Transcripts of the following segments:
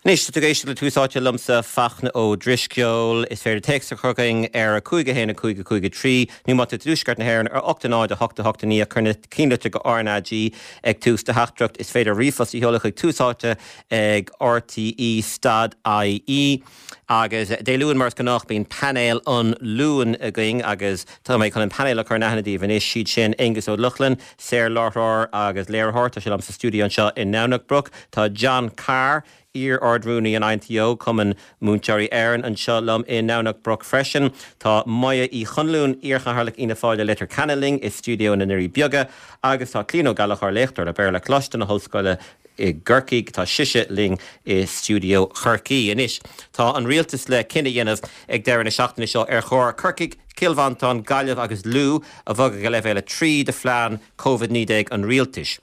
Anois, tá tú ag éisteacht le Tús Áite liomsa, Fachtna Ó Drisceoil. Is féidir téacs a chur chugainn ar 5 1 5 5 3 nó má tá tú i dtuaisceart na hÉireann ar 8 0 8 8 9 cuir na cinnlitir go RnaG ag tús do theachtaireacht. Is féidir ríomhphost a sheoladh chuig Tús Áite ag RTÉ stad IE. Agus Dé Luain, mar is gnách, bíonn painéal an Luain againn agus tá mé chun an painéal a chur in aithne daoibh anois. Siad sin Aengus Ó Lochlainn, saor-láithreoir agus léiritheoir. Tá sé liom sa stiúideo anseo i nDomhnach Broc. Tá John Carr, iar-Ard-Rúnaí an INTO, Cumann Múinteoirí Éireann, anseo liom i nDomhnach Broc freisin. Tá Moya Uí Chonluain, iar-Chathaoirleach Fhianna Fáil i Leitir Ceanainn linn i stiúideo na nDoirí Beaga agus tá Clíona Ó Gallchóir, léachtóir le Béarla, Coláiste na hOllscoile i gCorcaigh. Tá sise linn i stiúideo Chorcaí. Anois, tá an rialtas le cinneadh a dhéanamh ag deireadh na seachtaine seo ar chóir Corcaigh, Cill Mhantáin, Gaillimh agus Lú a bhogadh go leibhéal 3 de phlean Covid-19 an rialtais.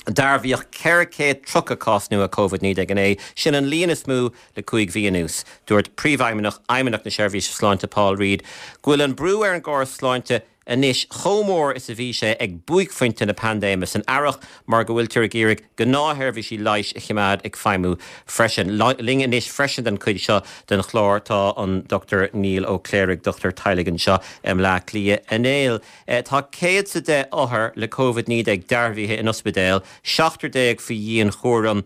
Dearbhaíodh 430 cás nua Covid-19 inné, sin an líon is mó le 5 mhí anuas. Dúirt Príomhfheidhmeannach Fheidhmeannacht na Seirbhíse Sláinte Paul Reid go bhfuil an brú ar an gcóras sláinte anois chomh mór is a bhí sé ag buaicphointe na paindéime san earrach mar go bhfuiltear ag iarraidh gnáthsheirbhísí leighis a choimeád ag feidhmiú freisin. Linn anois freisin don chuid seo den chlár tá an Dr Niall Ó Cléirigh, dochtúir teaghlaigh anseo i mBleá Cliath. A Néill, tá 110 othar le Covid-19 dearbhaithe in ospidéil, 17 faoi dhianchúram.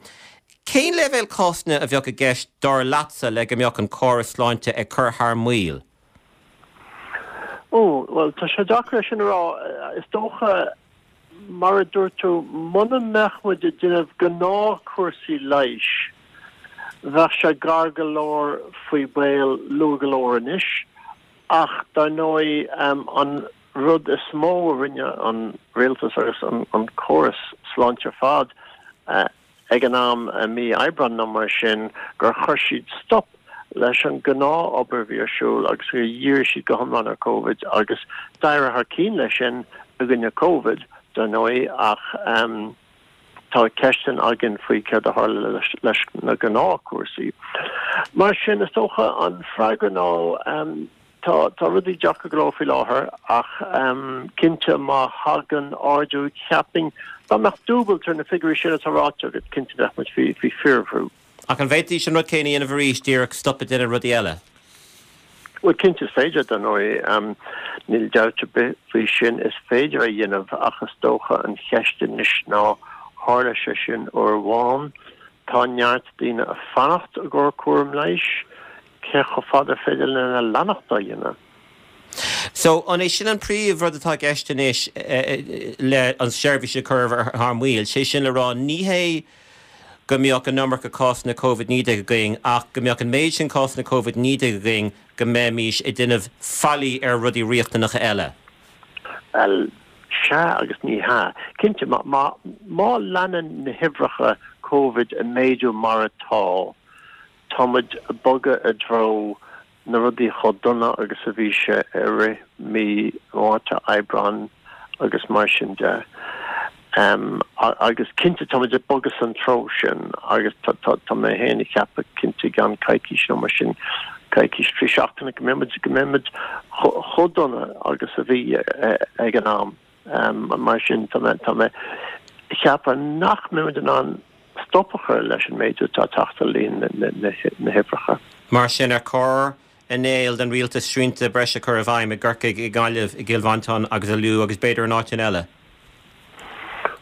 Cén leibhéal cásanna a bheadh i gceist dar leatsa le go mbeadh an córas sláinte ag cur thar maoil? Ó, bhuel, tá sé deacair é sin a rá. Is dócha, mar a dúirt tú, muna mbeadh muid ag déanamh gnáthchúrsaí leighis, bheadh sé gar go leor faoi baol luath go leor anois. Ach, dar ndóigh, an rud is mó a rinne an rialtas agus an córas sláinte ar fad, ag an am i mí Aibreáin nó mar sin gur chuir siad stop leis an gnáth-obair a bhí ar siúl agus gur dhírigh siad go hiomlán ar Covid agus d'éirigh thar cinn leis sin i gcoinne Covid, dar ndóigh, ach tá ceisteanna againn faoi céard a tharla leis na gnáthchúrsaí. Mar sin, is dócha an freagra ná Tá, tá rudaí deacair go leor faoi láthair ach cinnte má thagann ardú, cheapfainn, dá mbeadh dúbailt ar na figiúirí sin atá ráite agat, cinnte bheadh muid faoi, faoi fíorbhrú. Ach an bhféadfaidís an rud céanna a dhéanamh arís, díreach stop ag déanamh rudaí eile? Bhuel, cinnte is féidir, dar ndóigh, níl dabht ar bith faoi sin, is féidir a dhéanamh ach is dócha an cheist anois ná tharla sé sin uair amháin, tá neart daoine ag fanacht i gcomhair cúram leighis, Cé chomh fada ar féidir linn a leanacht á dhéanamh? So, an é sin an príomh rud atá i gceist anois le an seirbhís a chur thar maoil? Sé sin le rá, ní hé go mbeadh an iomarca cásanna Covid-19 againn ach go mbeadh an méid sin cásanna Covid-19 againn go mbeimís ag déanamh faillí ar rudaí riachtanacha eile. Bhuel, sea agus ní hea. Cinnte, má, má leanann na huimhreacha Covid ag méadú mar atá, Tá muid ag bogadh i dtreo na rudaí chomh dona agus a bhí sé i rith mí Márta, Aibreán agus mar sin de. Agus cinnte tá muid ag bogadh san treo sin agus tá mé féin ag ceapadh cinnte i gceann coicís nó mar sin, coicís, 3 seachtaine go mbeidh muid, go mbeidh muid chomh dona agus a bhí ag an am. Mar sin, tá mé, tá mé ag ceapadh nach mbeidh muid in ann stop a chur leis an méadú atá ag teacht ar líon na huimhreacha. Mar sin, ar chóir, a Néill, don rialtas srianta breise a chur i bhfeidhm i gCorcaigh, i nGaillimh, i gCill Mhantáin agus i Lú agus b'fhéidir in áiteanna eile?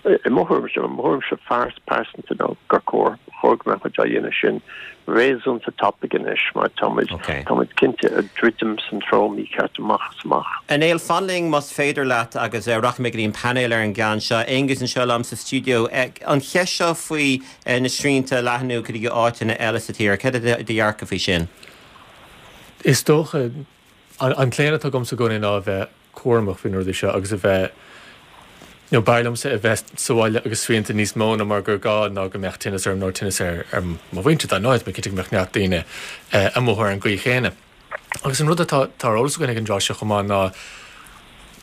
I mo thuairimse, mo thuairimse pearsanta ná gur chóir, ba chóir go mbeadh muid á dhéanamh sin réasúnta tapaidh anois mar tá muid, tá muid cinnte ag druidim san treo mícheart amach is amach. A Néill, fan linn más féidir leat agus rachaidh mé go dtí an painéal ar an gceann seo. Aengus anseo liom sa stiúideo. An cheist seo faoi na srianta a leathnú go dtí áiteanna eile sa tír, cad é do dhearcadh faoi sin? Is dócha, an claonadh atá agamsa i gcónaí ná a bheith cúramach faoi na rudaí seo agus a bheith, you know, b'fhearr liomsa a bheith sa bhaile agus srianta níos mó ná mar gur gá ná go mbeadh tinneas orm nó tinneas ar ar mo mhuintir dar ndóigh, tá mé cinnte go mbeadh neart daoine ag mothú ar an gcaoi chéanna. Agus an rud atá atá ar eolas againn ag an dtráth seo chomh maith ná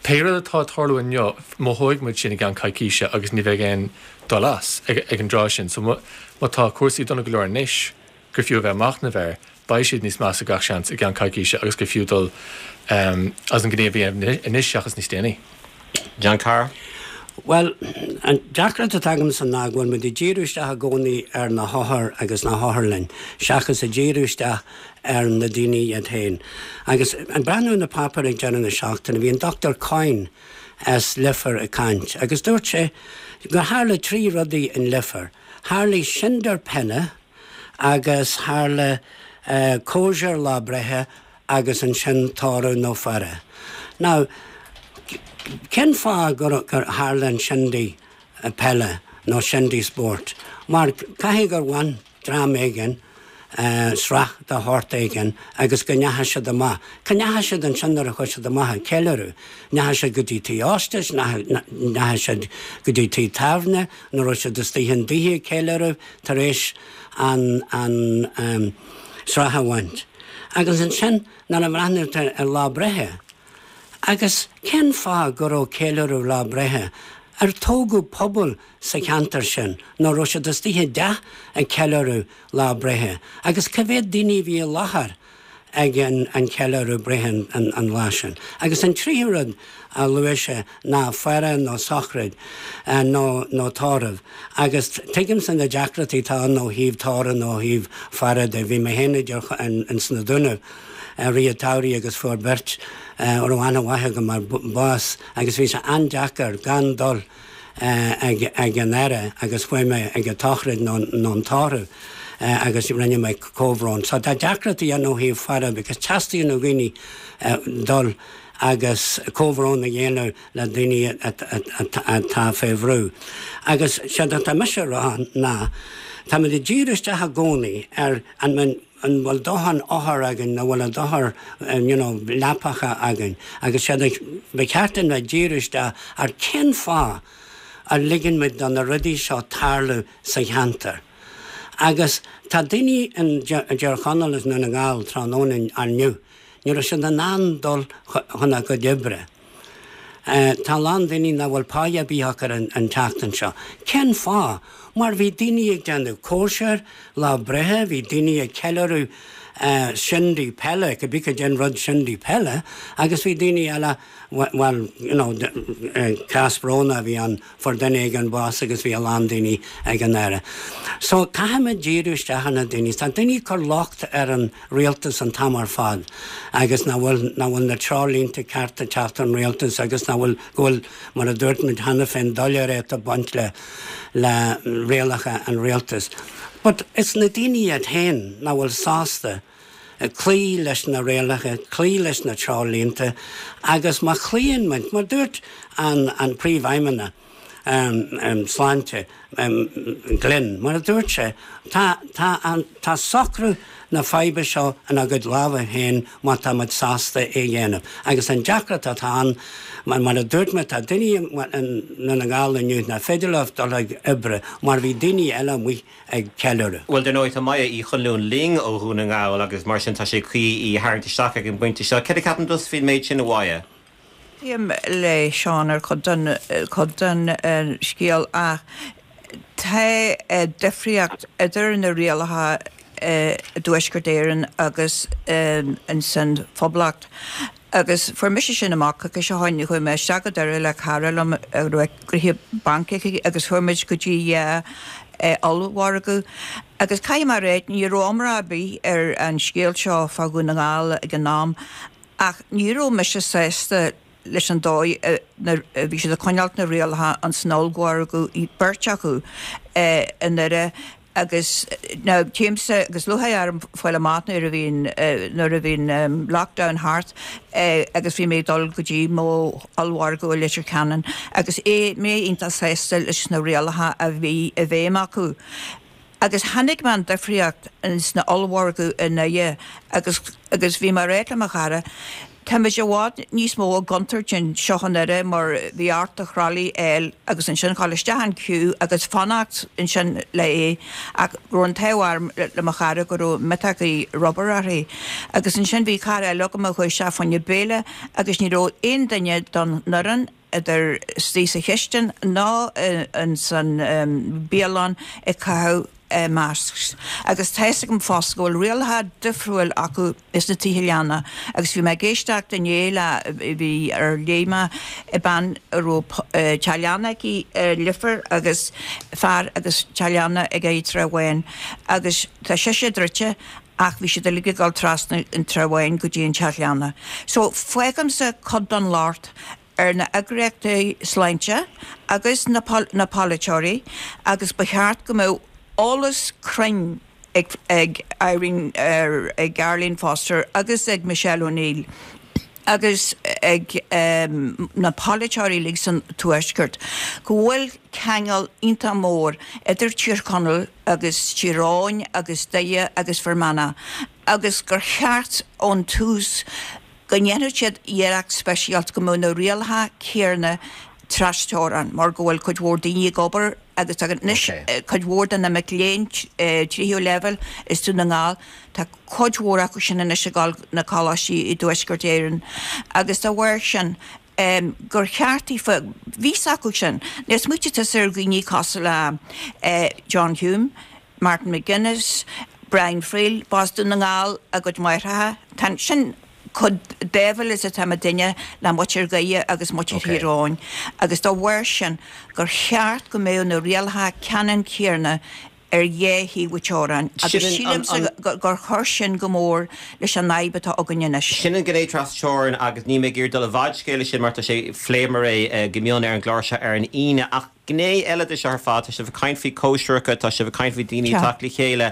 pé rud atá ag tarlú inniu, mothóidh muid sin i gceann coicíse agus ní bheidh aon dul as ag ag an dtráth sin. So má má tá cúrsaí dona go leor anois, gur fiú a bheith ag machnamh air, beidh siad níos measa gach seans i gceann coicíse agus gur fiú dul as an ngníomh a dhéanamh anois seachas níos déanaí. John Carr. Bhuel, an deacracht atá agamsa ná go bhfuil muid ag díriú isteach i gcónaí ar na hothair agus na hotharlainn seachas ag díriú isteach ar na daoine iad féin. Agus ag breathnú ar na páipéir ag deireadh na seachtaine, bhí an Dr Coyne as Leifear ag caint agus dúirt sé gur tharla 3 rudaí in Leifear. Tharlaigh sinder peile agus tharla cóisir lá breithe agus ansin tórramh nó faire. Now, cén fáth gur tharla an shindy peile nó shindy spóirt? Mar caithfidh gur bhain dream éigin sraith de shórt éigin agus go ndeachaigh siad amach. Cá ndeachaigh siad ansin nuair a chuaigh siad amach ag ceiliúradh? Ndeachaigh siad go dtí tigh óstais, ndeachaigh siad go dtí tigh tábhairne, nó raibh siad istigh ina dtithe ag ceiliúradh tar éis an an sraith a bhaint. Agus ansin nuair a bhreathnaíonn tú ar lá breithe, agus cén fáth go raibh ceiliúradh lá breithe, ar tógadh pobal sa cheantar sin nó raibh siad istigh i dteach ag ceiliúradh lá breithe agus cá mhéad daoine a bhí i láthair ag an cheiliúradh breithe an lá sin. Agus an tríú rud a luaigh sé ná faire nó sochraid nó nó tórramh. Agus tuigimse na deacrachtaí atá ann ó thaobh tórramh nó ó thaobh faire de. Bhí mé féin idir ins na Dúnaibh i rith an tsamhraidh agus fuair beirt a raibh aithne mhaith agam orthu bás agus bhí sé an-deacair gan dul ag an fhaire agus chuaigh mé ag an tsochraid nó an tórramh agus rinne mé comhbhrón. So tá deacrachtaí ann ó thaobh faire because teastaíonn ó dhaoine dul agus comhbhrón a dhéanamh le daoine atá fé bhrú. Agus séard atá mise a rá ná táimid ag díriú isteach i gcónaí ar an an bhfuil dóthain othar againn nó bhfuil a dóthain you know leapacha againn agus séard a ba cheart dúinn bheith ag díriú isteach ar cén fáth a ligeann muid do na rudaí seo tarlú sa cheantar. Agus tá daoine in dTír Chonaill is i nDún na nGall tráthnóna inniu, ní raibh siad in ann dul chun a gcuid oibre. Tá a lán daoine nach bhfuil páighe ar bith acu an tseachtain seo. Cén fáth? Mar bhí daoine ag déanamh cóisir lá breithe, bhí daoine ag ceiliúradh shindy peile, cibé cad é an rud shindy peile, agus bhí daoine eile, bhuel, you know, cás brónach a bhí ann, fuair duine éigin bás agus bhí a lán daoine ag an fhaire. So caithfimid díriú isteach ar na daoine. Tá daoine ag cur locht ar an rialtas an t-am ar fad agus nach bhfuil, nach bhfuil na treoirlínte cearta ag teacht ón rialtas agus nach bhfuil, go bhfuil, mar a dúirt muid cheana féin, doiléireacht ag baint le, le rialacha an rialtais. But is na daoine iad féin nach bhfuil sásta cloí leis na rialacha, cloí leis na treoirlínte agus má chloíonn muid, mar dúirt an an Príomhfheidhmeannach Sláinte, Glynn, mar a dúirt sé, tá tá an tá socrú na faidhbe seo inár gcuid lámha féin má tá muid sásta é a dhéanamh. Agus an deacracht atá ann, mar mar a dúirt mé, tá daoine i nDún na nGall inniu nach féidir leo dul ag oibre mar bhí daoine eile amuigh ag ceiliúradh. Bhuel, dar ndóigh, tá Maya Uí Chonluain linn ó Dhún na nGall agus mar sin tá sé cuí í a tharraingt isteach ag an bpointe seo. Céard a cheapann tusa faoin méid sin, a Mhaya? Aontaím le Seán ar chuid den, chuid den scéal ach tá difríocht idir na rialacha i dTuaisceart Éireann agus insan Phoblacht. Agus fuair mise sin amach coicís ó shoin, chuaigh mé isteach go Doire le cara liom a raibh gnoithe bainc aici agus chuaigh muid go dtí dhá ollmhargadh. Agus caithfidh mé a ráit, ní raibh iomrá ar bith ar an scéal seo fá Dhún na nGall ag an am ach ní raibh mise sásta leis an dóigh a bhí siad ag coinneáilt na rialacha ins an ollmhargadh, beirt acu i nDoire. Agus now téimse agus lúcháir orm fáil amach nuair a bhí an nuair a bhí an lockdown thart agus bhí mé ag dul go dtí mo ollmhargadh i Leitir Ceanainn agus é mé iontach sásta leis na rialacha a bhí i bhfeidhm acu. Agus chonaic mé an difríocht ins na ollmhargadh i nDoire agus agus bhí mé ag ráit le mo chara Táimid i bhfad níos mó i gcontúirt anseo i nDoire mar bhí ort do throlly a fháil agus ansin dhul isteach an queue agus fanacht ansin le é ach go raibh an t-ádh orm le mo chara go raibh miotachaí rubair uirthi. Agus ansin bhí cara eile agam a chuaigh isteach fá choinne béile agus ní raibh aon duine don fhoireann idir istigh sa chistin ná ins an bialann ag caitheamh. masks agus tá fhios agam fosta go bhfuil rialacha difriúil acu sna tithe leanna agus bhí mé ag éisteacht inné le bhí ar léigh mé bean a raibh teach leanna aici i Leifear agus fear agus teach leanna aige i dTrá Bháin agus tá sise druidte ach bhí siad uilig ag dul trasna an Trá Bháin go dtí an teach leanna. So fágaimse cuid den locht ar na eagraíochtaí sláinte agus na na polaiteoirí agus ba cheart go mbeadh eolas cruinn ag ag Irene ag Arlene Foster agus ag Michelle O'Neill agus ag na polaiteoirí uilig san Tuaisceart go bhfuil ceangal iontach mór idir Tír Chonaill agus Tír Eoghain agus Doire agus Fear Manach agus gur cheart ón tús go ndéanfadh siad iarracht speisialta go mbeadh na rialacha céarna trasteorann mar go bhfuil cuid mhór daoine ag obair agus tá anois cuid mhór de na mic léinn tríú leibhéal i Dún na nGall, tá cuid mhór acu sin anois ag dul na coláistí i dTuaisceart Éireann agus dá bharr sin gur cheart daofa, bhí fhios acu sin. Nuair a smaoitigh tusa ar dhaoine cosúil le John Hume, Martin McGuinness, Brian Friel, b'as Dún na nGall a gcuid máithreacha. Tá sin chomh báúil is atá muidinne le muintir Dhoire agus muintir Thír Eoghain agus dá bharr sin gur cheart go mbeadh na rialacha ceannann céanna ar dhá thaobh an teorainn agus sílimse gur chuir sin go mór leis an fhadhb atá againn anois. Sin an ghné tras-teorann agus níl mé ag iarraidh dul i bhfad scéil leis sin mar tá sé, phléamar é go mion ar an gclár seo ar an Aoine ach gné eile de seo ar fad, tá sibh ag caint faoi cóisireacha, tá sibh ag caint faoi daoine ag teacht le chéile,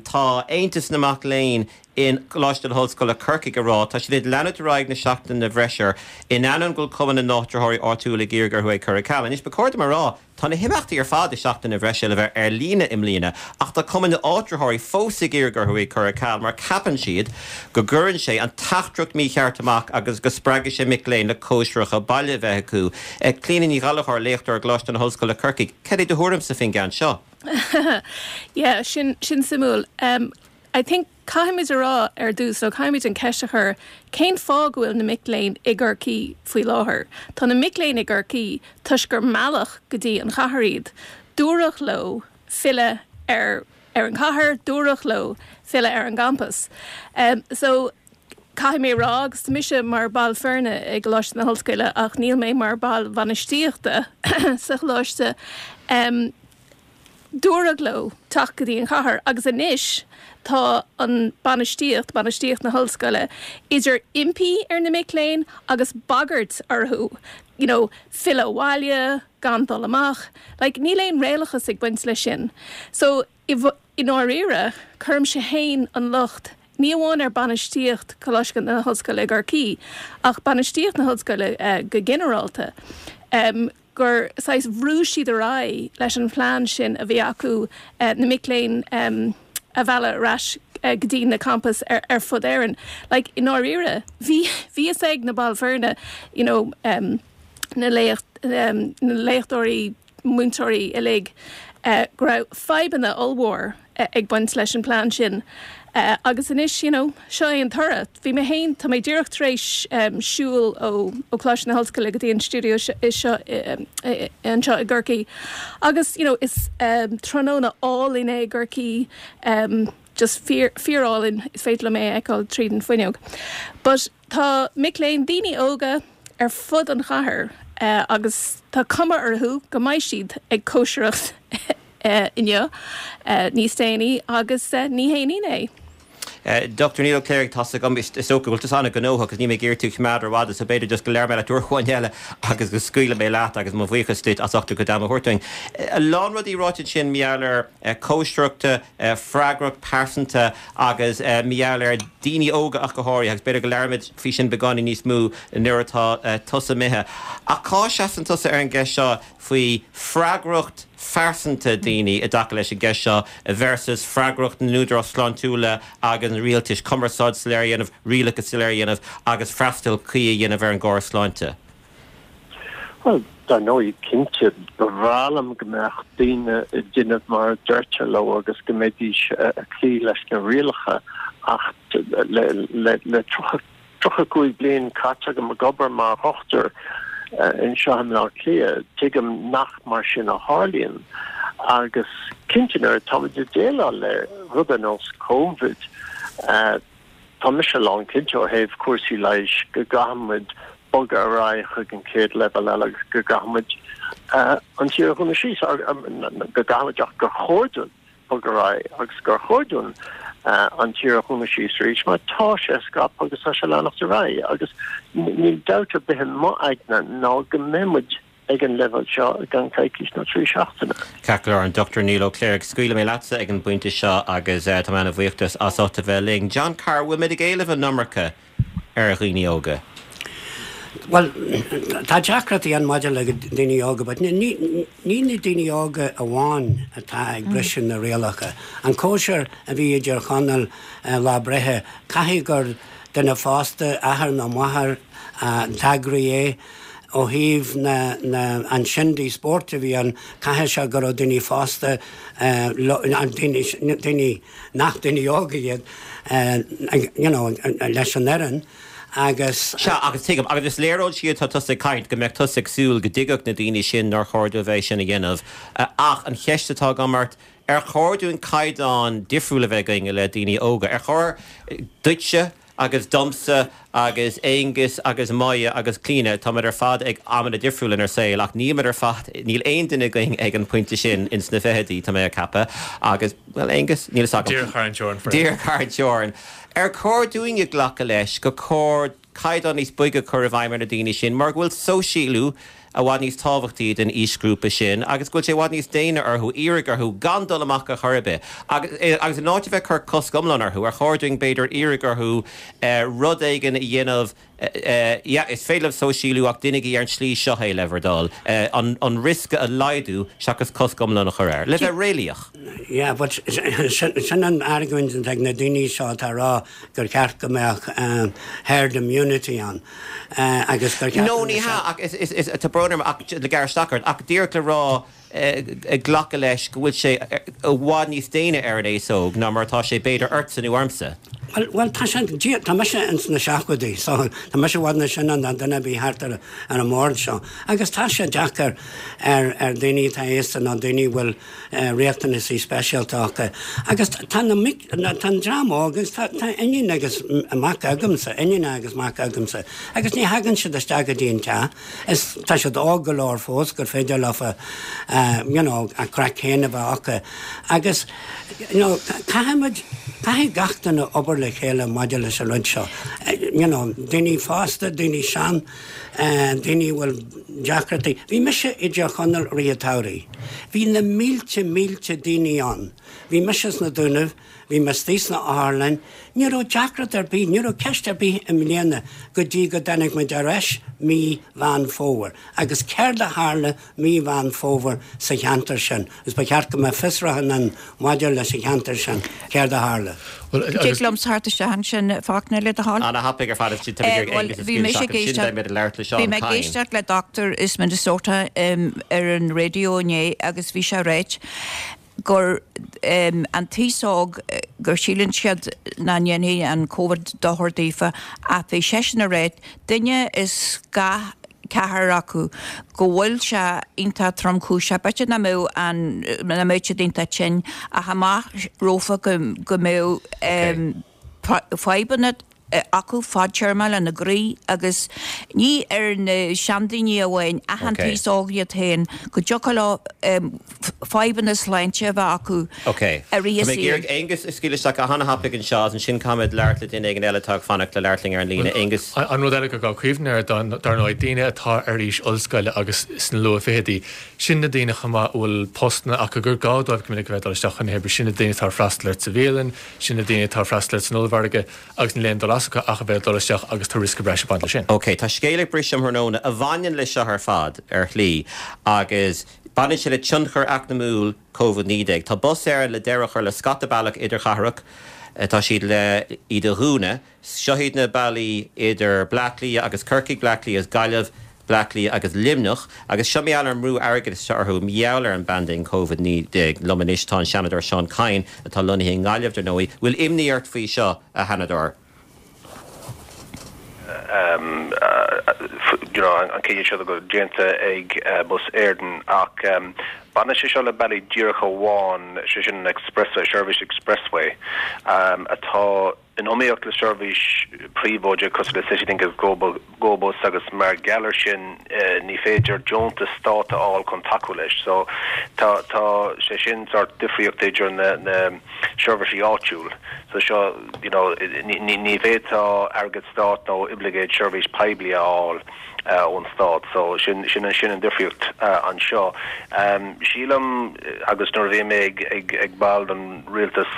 tá Aontas na Mac Léinn i gColáiste na hOllscoile Corcaigh ag rá, tá siad ag leanúint ar aghaidh na seachtaine bhreise in ainneoin go bhfuil Cumann na nÁitritheoirí Áitiúla ag iarraidh orthu é cur ar ceal. Anois ba chóir dom a rá, Tá na himeachtaí ar fad i Seachtain na Bhreise le bheith ar líne i mbliana ach tá Cumann na nÁitritheoirí fós ag iarraidh orthu é cur ar ceal mar ceapann siad go gcuireann sé an teachtaireacht mícheart amach agus go spreagfaidh sé mic léinn le cóisireacha baile a bheith acu. Clíona Ní Ghallchóir, léachtóir i gColáiste na hOllscoile Corcaigh, cad é do thuairimse faoin gceann seo? Yeah, sin, sin suimiúil. I think caithfimid a rá ar dtús, nó caithfimid an ceist a chur, cén fáth go bhfuil na mic léinn i gCorcaigh faoi láthair? Tá na mic léinn i gCorcaigh toisc gur mealladh go dtí an chathair iad. Dúradh leo filleadh ar ar an chathair, dúradh leo filleadh ar an gcampas. So, caithfidh mé a rá, agus tá mise mar ball foirne i gColáiste na hOllscoile ach níl mé mar ball bhainistíochta sa choláiste, Dúradh leo teacht go dtí an chathair agus anois tá an bainistíocht, bainistíocht na hollscoile, idir impí ar na mic léinn agus bagairt orthu, you know, filleadh abhaile, gan dul amach. Like, níl aon réalachas ag baint leis sin. So, i ndáiríre, cuirimse fhéin an locht ní amháin ar bainistíocht Choláiste na hOllscoile i gCorcaigh ach bainistíocht na hollscoile go ginearálta. gur saghas bhrú siad ar aghaidh leis an phlean sin a bhí acu na mic léinn a mhealladh ar ais go dtí na campais ar fud Éireann. Like, i ndáiríre, bhí bhí fhios ag na baill foirne, you know, na léacht na léachtóirí, múinteoirí uilig go raibh fadhbanna ollmhór ag baint leis an plean sin agus anois, you know, seo é an toradh. Bhí mé féin, tá mé díreach tar éis siúl ó Choláiste na hOllscoile go dtí an stiúideo seo anseo i gCorcaigh agus, you know, is tráthnóna álainn é i gCorcaigh, just fíor, fíor-álainn, is féidir liom é a fheiceáil tríd an fuinneog. But tá mic léinn, daoine óga ar fud an chathair agus tá cuma orthu go mbeidh siad ag cóisireacht inniu níos déanaí agus ní haon ionadh é. Dr Niall Ó Cléirigh, tá's agam, is dócha go bhfuil tusa an-ghnóthach agus níl mé ag iarraidh tú a choimeád rófhada so b'fhéidir just go labhróidh mé leat uair amháin eile agus go scaoilfidh mé leat agus mo bhuíochas duit as ucht do chuid ama a thabhairt dúinn. A lán rudaí ráite ansin mar gheall ar cóisireachta, freagracht pearsanta agus mar gheall ar daoine óga ach go háirithe agus b'fhéidir go labhróimid faoi sin beagáinín níos mó nuair atá tusa imithe. Ach cá seasann tusa ar an gceist seo faoi freagracht phearsanta daoine i dtaca leis an gceist seo versus freagracht na n-údarás sláintiúla agus an rialtais cumarsáid soiléir a dhéanamh, rialacha soiléir a dhéanamh agus freastal cuí a dhéanamh ar an gcóras sláinte? Bhuel, dar ndóigh, cinnte, ba bhreá liom go mbeadh daoine ag déanamh mar a deirtear leo agus go mbeidís ag cloí leis na rialacha ach le le 30 35 bliain caite agam ag obair mar dhochtúir anseo i mBleá Cliath, tuigim nach mar sin a tharlaíonn. Agus cinnte nuair atáimid ag déileáil le rud ar nós Covid, tá mise lánchinnte ó thaobh cúrsaí leighis go gcaithfidh muid bogadh ar aghaidh chuig an chéad leibhéal eile agus go gcaithfidh muid an tír a dhúnadh síos, go gcaithfidh muid ach gur chóir dúinn bogadh ar aghaidh agus gur chóir dúinn an tír a dhúnadh síos arís mar tá sé ag scaipeadh agus tá sé ag leanacht ar aghaidh agus níl dabht ar bith i m'aigne ná go mbeidh muid ag an leibhéal seo i gceann coicís nó 3 seachtaine. Ceart go leor, an Dr Niall Ó Cléirigh, scaoilfidh mé leatsa ag an bpointe seo agus tá mé ana-bhuíoch as ucht a bheith linn. John Carr, bhfuil muid ag éileamh an iomarca ar dhaoine óga? Bhuel, tá deacrachtaí ann maidir le daoine óga, but ní na daoine óga amháin atá ag briseadh na rialacha. An cóisir a bhí i dTír Chonaill lá breithe, caithfidh gur duine fásta, athair nó máthair, a d'eagraigh é. Ó thaobh na, na, an shindig spóirt a bhí ann, caithfidh sé go raibh daoine fásta, daoine, daoine nach daoine óga iad, you know, leis an fhoireann agus. Sea, agus tuigim, agus is léir ón tslí atá tusa ag caint go mbeadh tusa ag súil go dtuigfeadh na daoine sin nár chóir dóibh é sin a dhéanamh. Ach an cheist atá agam ort, ar chóir dúinn caighdeán difriúil a bheith againn i leith daoine óga? Ar chóir duitse agus domsa agus Aonghus agus Moya agus Clíona, táimid ar fad ag amanna difriúla inár saol ach nílimid ar fad, níl aon duine againn ag an bpointe sin ins na fichidí, tá mé ag ceapadh, agus, bhuel, Aonghus, níl fhios agam. Díreach thar an teorainn for Díreach thar an teorainn. Ar chóir dúinne glacadh leis gur chóir caighdeán níos boige a chur i bhfeidhm ar na daoine sin mar go bhfuil sóisialú i bhfad níos tábhachtaí don aoisghrúpa sin agus go bhfuil sé i bhfad níos déine orthu iarraidh orthu gan dul amach ar chor ar bith. Agus, agus in áit a bheith ag cur cosc iomlán orthu, ar chóir dúinn b'fhéidir iarraidh orthu rud éigin a dhéanamh, yeah, is féidir libh sóisialú ach déanaigí ar an tslí seo é le bhur dtoil, an, an riosca a laghdú seachas cosc iomlán a chur air. Le bheith réalaíoch. Yeah, but sin, sin an argóint atá ag na daoine seo atá ag rá gur cheart go mbeadh herd immunity ann agus gur cheart No, ní hea, ach is, is, is, tá brón orm ach le gearradh isteach ort, ach díreach le rá, ag glacadh leis go bhfuil sé i bhfad níos déine ar an aos óg ná mar atá sé b'fhéidir ortsa nó ormsa. Bhuel, bhuel, tá sé, Dia, tá mise ins na seachtóidí, so tá mise i bhfad níos sine ná duine ar bith thart ar, ar an mbord seo. Agus tá sé deacair ar, ar daoine atá aosta nó daoine a bhfuil riachtanaisí speisialta acu. Agus tá na mic, tá an dream óg, agus tá, tá iníon agus mac agamsa, iníon agus mac agamsa, agus ní thagann siad isteach go dtí an teach, is tá siad óg go leor fós gur féidir leofa, you know, a craic féin a bheith acu. Agus, you know, caithfimid, caithfidh gach duine obair le chéile maidir leis an rud seo. You know, daoine fásta, daoine sean, daoine a bhfuil deacrachtaí. Bhí mise i dTír Chonaill i rith an tsamhraidh. Bhí na mílte, mílte daoine ann. Bhí mise sna Dúnaibh, bhí mé istigh sna otharlann. Ní raibh deacracht ar bith, ní raibh ceist ar bith i mbliana go dtí go dtáinig muid ar ais mí Mheán Fómhair. Agus céard a tharla mí Mheán Fómhair sa cheantar sin? Agus ba cheart go mbeadh fiosrúchán ann maidir leis an cheantar sin, céard a tharla. Tig liom theacht isteach ansin, Fachtna, le do thoil? Ana-thapaidh ar fad is tá mé ag iarraidh Aengus a scaoileadh isteach ansin beidh muid ag labhairt le Seán Kyne. Bhí mé ag éisteacht le dochtúir as Minnesota ar an raidió inné agus bhí sé ag ráit gur an t-aos óg gur síleann siad nach ndéanfaidh an Covid dochar daofa ach bhí seisean ag ráit duine as gach ceathrar acu go bhfuil sé iontach tromchúiseach. B'fhéidir nach mbeadh an, nach mbeadh siad iontach tinn ach amach rompu go, go mbeadh fadhbanna acu fadtéarma lena gcroí agus ní ar na seandaoine amháin ach an t-aos óg iad féin go dtiocfadh leo fadhbanna sláinte a bheith acu Ok. i rith a Tá mé ag saoil. iarraidh Aengus a scaoileadh isteach go hana-thapaidh anseo agus ansin caithfimid labhairt le duine éigin eile atá ag fanacht le labhairt linn ar an líne. Aengus. An rud eile gur gá cuimhneamh air, dar ndóigh, daoine atá ar aois ollscoile agus sna luath-fhichidí, sin na daoine chomh maith a bhfuil postanna acu gur gá dóibh go minic a bheith ag dul isteach chun na hoibre, sin na daoine atá ag freastal ort sa bhialann, sin na daoine atá ag freastal ort san ollmhargadh agus níl aon dul as acu ach a bheith ag dul isteach agus tá riosca breise ag baint leis sin. Ok, tá scéal ag briseadh um thráthnóna a bhaineann leis seo ar fad, ar shlí, agus baineann sé le tionchar eacnamúil Covid-19. Tá Bus Éireann le deireadh a chur le scata bealach idirchathrach, tá siad le iad a dhúnadh. Seo iad na bealaí idir Bleá Cliath agus Corcaigh, Bleá Cliath agus Gaillimh, Bleá Cliath agus Luimneach. Agus seo mar gheall ar an mbrú airgeadais atá orthu mar gheall ar an bpaindéim Covid-19. Liom anois tá an Seanadóir Seán Kyne, atá lonnaithe i nGaillimh, dar ndóigh. Bhfuil imní ort faoi seo, a Sheanadóir? You know, an cinneadh seo déanta ag Bus Éireann ach baineann sé seo le bealaí díreacha amháin, sé sin an Expressway, seirbhís Expressway atá in iomaíocht le seirbhís príobháideach cosúil le Citylink agus GoBus agus mar gheall ar sin ní féidir deontas stáit a fháil chun tacú leis. So tá tá sé sin sórt difríocht idir na na seirbhísí áitiúil. So seo you know ní ní ní bhféadfá airgead stáit nó oibleagáid seirbhís poiblí a fháil ón stát. So sin sin sin an difríocht anseo. Sílim agus nuair a bhí mé ag ag ag ball den rialtas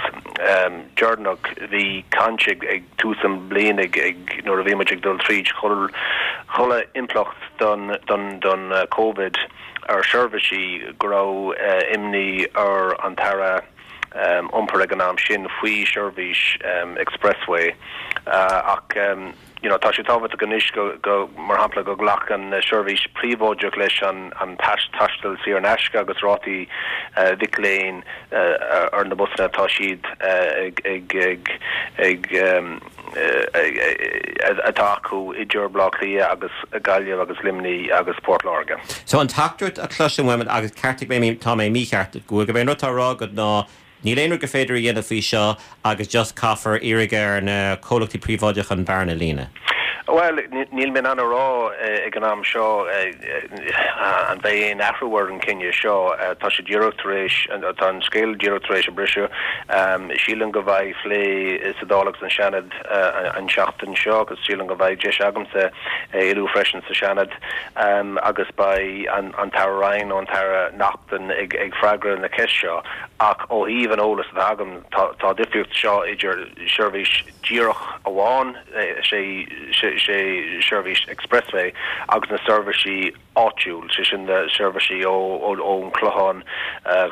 deireanach bhí caint ag ag tús an bliain ag ag nuair a bhí muid ag dul tríd chuile chuile impleacht don don don Covid ar seirbhísí go raibh imní ar an tAire Iompair ag an am sin faoi seirbhís Expressway ach you know tá sé tábhachtach anois go, go, mar shampla, go nglacann na seirbhís príobháideach leis an, an taisteal saor in aisce agus rátaí mhic léinn ar na busanna atá siad ag, ag, ag, ag, atá acu idir Baile Átha Cliath agus Gaillimh agus Luimnigh agus Port Láirge. So an teachtaireacht a chloisim uait, agus ceartaigh mé má tá mé mícheart, go bhfuil gurb é an rud atá á rá agat ná Níl aon rud gur féidir a dhéanamh faoi seo agus just caithfear iarraidh ar na comhlachtaí príobháideacha an bhearna a líonadh. Bhuel, níl mé in ann a rá ag an am seo an mbeidh aon athrú ar an gcinneadh seo. Tá sé díreach tar éis, tá an scéal díreach tar éis a briseadh. Sílim go mbeidh phlé sa Dáil agus an Seanad an tseachtain seo agus sílim go mbeidh deis agamsa é a lua freisin sa Seanad agus beidh an tAire Ryan nó an tAire Naughten ag freagra na ceist seo. Ach ó thaobh an eolas atá agam, tá difríocht seo idir seirbhís díreach amháin, sé seirbhís Expressway, agus na seirbhísí áitiúil, sé sin na seirbhísí ón Chlochán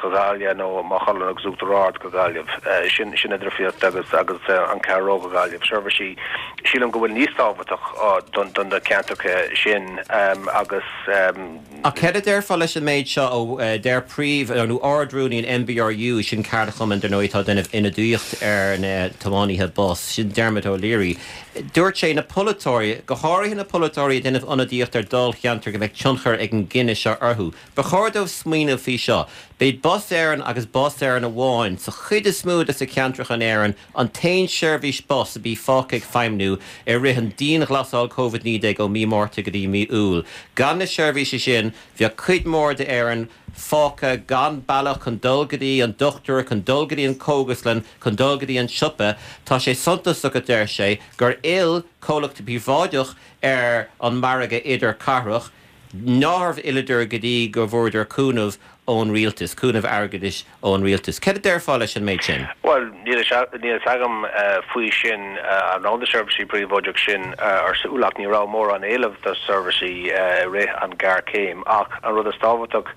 go Gaillimh nó Maigh Cuilinn agus Uachtar Ard go Gaillimh. Sin an difríocht agus agus an Ceathrú Rua go Gaillimh. Seirbhísí, sílim go bhfuil níos tábhachtach do na ceantracha sin agus. Ach céard a déarfá leis an méid seo ó deir príomh, nó Ard-Rúnaí an NBRU, sin ceardchumann dar ndóigh atá ag déanamh ionadaíocht ar na tiománaithe bus, sin Dermot O'Leary. Dúirt sé na polaiteoirí, go háirithe na polaiteoirí ag déanamh ionadaíocht ar dáilcheantair go mbeidh tionchar ag an gcinneadh seo orthu, ba chóir dóibh smaoineamh faoi seo. B'iad Bus Éireann agus Bus Éireann amháin sa chuid is mó de na ceantracha in Éirinn An t-aon seirbhís bus a bhí fágtha ag feidhmniú i rith an dianghlasáil Covid-19 ó mí Márta go dtí mí Iúil. Gan na seirbhísí sin, bheadh cuid mhór d'Éirinn fágtha gan bealach chun dul go dtí an dochtúir, chun dul go dtí an chógaslann, chun dul go dtí an siopa. Tá sé suntasach, a deir sé, gur fhill comhlachtaí príobháideach ar an margadh idirchathrach. Nár fhilleadar go dtí go bhfuaireadar cúnamh ón rialtas, cúnamh airgeadais ón rialtas. Céard a déarfá leis an méid sin? Bhuel, níl a fhios agam faoi sin, an raibh na seirbhísí príobháideach sin ar siúl ach ní raibh mórán éileamh do seirbhísí i rith an ghéarchéim. Ach an rud is tábhachtach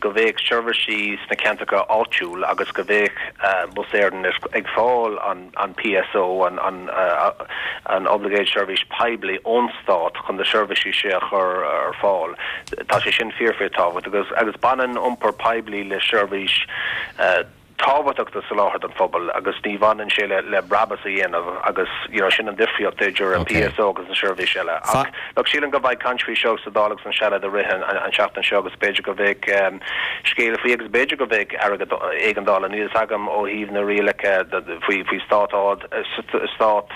go bheadh seirbhísí sna ceantracha áitiúil agus go bheadh Bus Éireann ag fáil an an PSO, an Oibleagáid Seirbhís Poiblí ón Stát chun na seirbhísí sin a chur ar fáil. Tá sé sin fíor fíor tábhachtach agus baineann iompar poiblí le seirbhís tábhachtach do soláthar don phobal agus ní bhaineann sé le brabús a dhéanamh agus you know sin an difríocht idir an PSO agus na seirbhís eile. Ach look sílim go mbeidh caint faoi seo sa Dáil agus an Seanad i rith an tseachtain seo agus b'fhéidir go mbeidh scéal faoi agus b'fhéidir go mbeidh airgead éigeandála, níl fhios agam ó thaobh na rialacha faoi faoi stát stát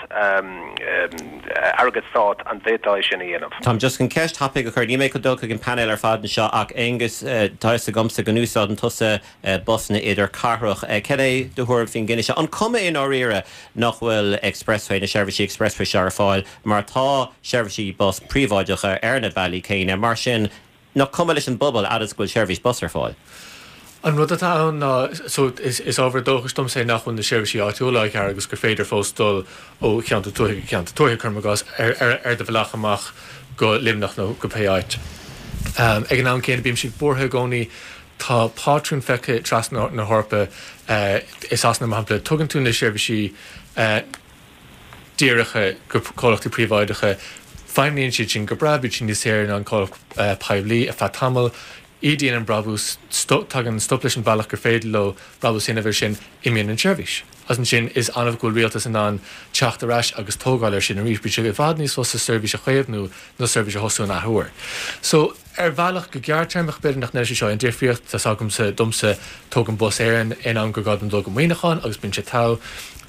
airgead stát an bhféadfá é sin a dhéanamh. Táim just chun ceist thapaidh a chur, níl mé chun dul chuig an painéal ar fad anseo ach Aonghus, tá fhios agamsa go n-úsáideann tusa busanna idirchathrach. Cad é do thuairim faoin gcinneadh seo? An cuma i ndáiríre nach bhfuil Expressway, na seirbhísí Expressway seo ar fáil mar tá seirbhísí bus príobháideacha ar na bealaí céanna, mar sin Nach cuma leis an bpobal fhad is go bhfuil seirbhís bus ar fáil? An rud atá ann ná, so, is ábhar dóchais domsa é nach bhfuil na seirbhísí áitiúla á ghearradh agus gur féidir fós dul ó cheantar tuaithe go ceantar tuaithe, cuirim i gcás, ar do bhealach amach go Luimneach nó go pé áit. Ag an am céanna, bímse buartha i gcónaí, tá pátrún feicthe trasna na hEorpa, i Sasana mar shampla, tugann tú na seirbhísí, díreacha go comhlachtaí príobháideacha. Feidhmníonn siad sin go breá, bíonn siad níos saoire ná an comhlacht poiblí ar feadh tamaill. Ídíonn an brabús, tagann stop leis an bhealach gur féidir leo brabús a dhéanamh air sin, imíonn an tseirbhís. Agus ansin is annamh go bhfuil rialtas in ann teacht ar ais agus tógáil air sin arís. Bíonn sé i bhfad níos fusa seirbhís a chaomhnú ná seirbhís a thosú an athuair. So, ar bhealach, go gearrtéarmach, b'fhéidir nach ndéanfaidh sé seo aon difríocht. Tá's agamsa, domsa, tógann Bus Éireann aon am gur gá dom dul go Muineachán agus bíonn sé togha.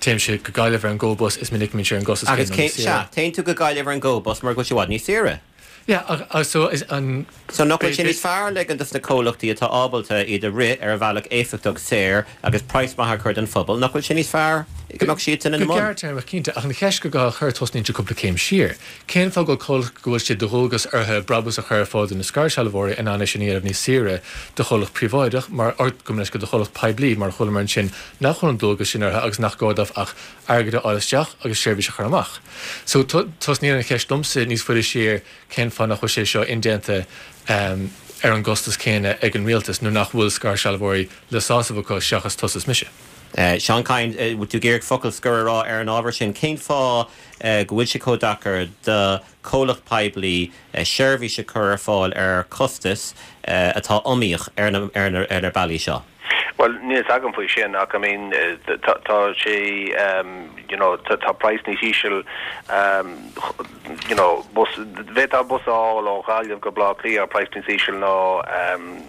Téimse go Gaillimh ar an GoBus, is minic a mbíonn sé ar an gcostas Agus céanna nó níos saoire. Sea, téann tú go Gaillimh ar an GoBus mar go bhfuil sé i bhfad níos saoire. Yeah, ach so is an. So nach bhfuil sé níos fearr ligean dos na comhlachtaí atá ábalta iad a rith ar bhealach éifeachtach saor agus praghas maith a chur don phobal, nach bhfuil sé níos fearr go mbeadh siadsan ina mbun? Go gearrtéarmach cinnte, ach an cheist gur gá a chur, tosnaíonn sé cúpla céim siar. Cén fáth go bhfuil comhlacht go bhfuil sé de dhualgas orthu brabús a chur ar fáil do na scairshealbhóirí in ann é sin a dhéanamh níos saoire do chomhlacht príobháideach mar, or gabh mo leithscéal, do chomhlacht poiblí mar a chualamar ansin nach bhfuil an dualgas sin orthu agus nach gá dóibh ach airgead a fháil isteach agus seirbhís a chur amach. So tosnaíonn an cheist domsa níos faide siar cén fáth nach bhfuil sé seo indéanta ar an gcostas céanna ag an rialtas nuair nach bhfuil scairshealbhóirí le sásamh acu seachas tusa is mise. Seán Kyne, bhfuil tú ag iarraidh focal scoir a rá ar an ábhar sin? Cén fáth go bhfuil sé chomh deacair do chomhlacht poiblí seirbhís a chur ar fáil ar chostas atá iomaíoch ar na bealaí seo? Bhuel, níl fhios agam faoi sin ach I mean tá sé you know tá praghas níos íseal you know bus, bhféadfá bus a fháil ó Ghaillimh go Baile Átha Cliath ar praghas níos íseal ná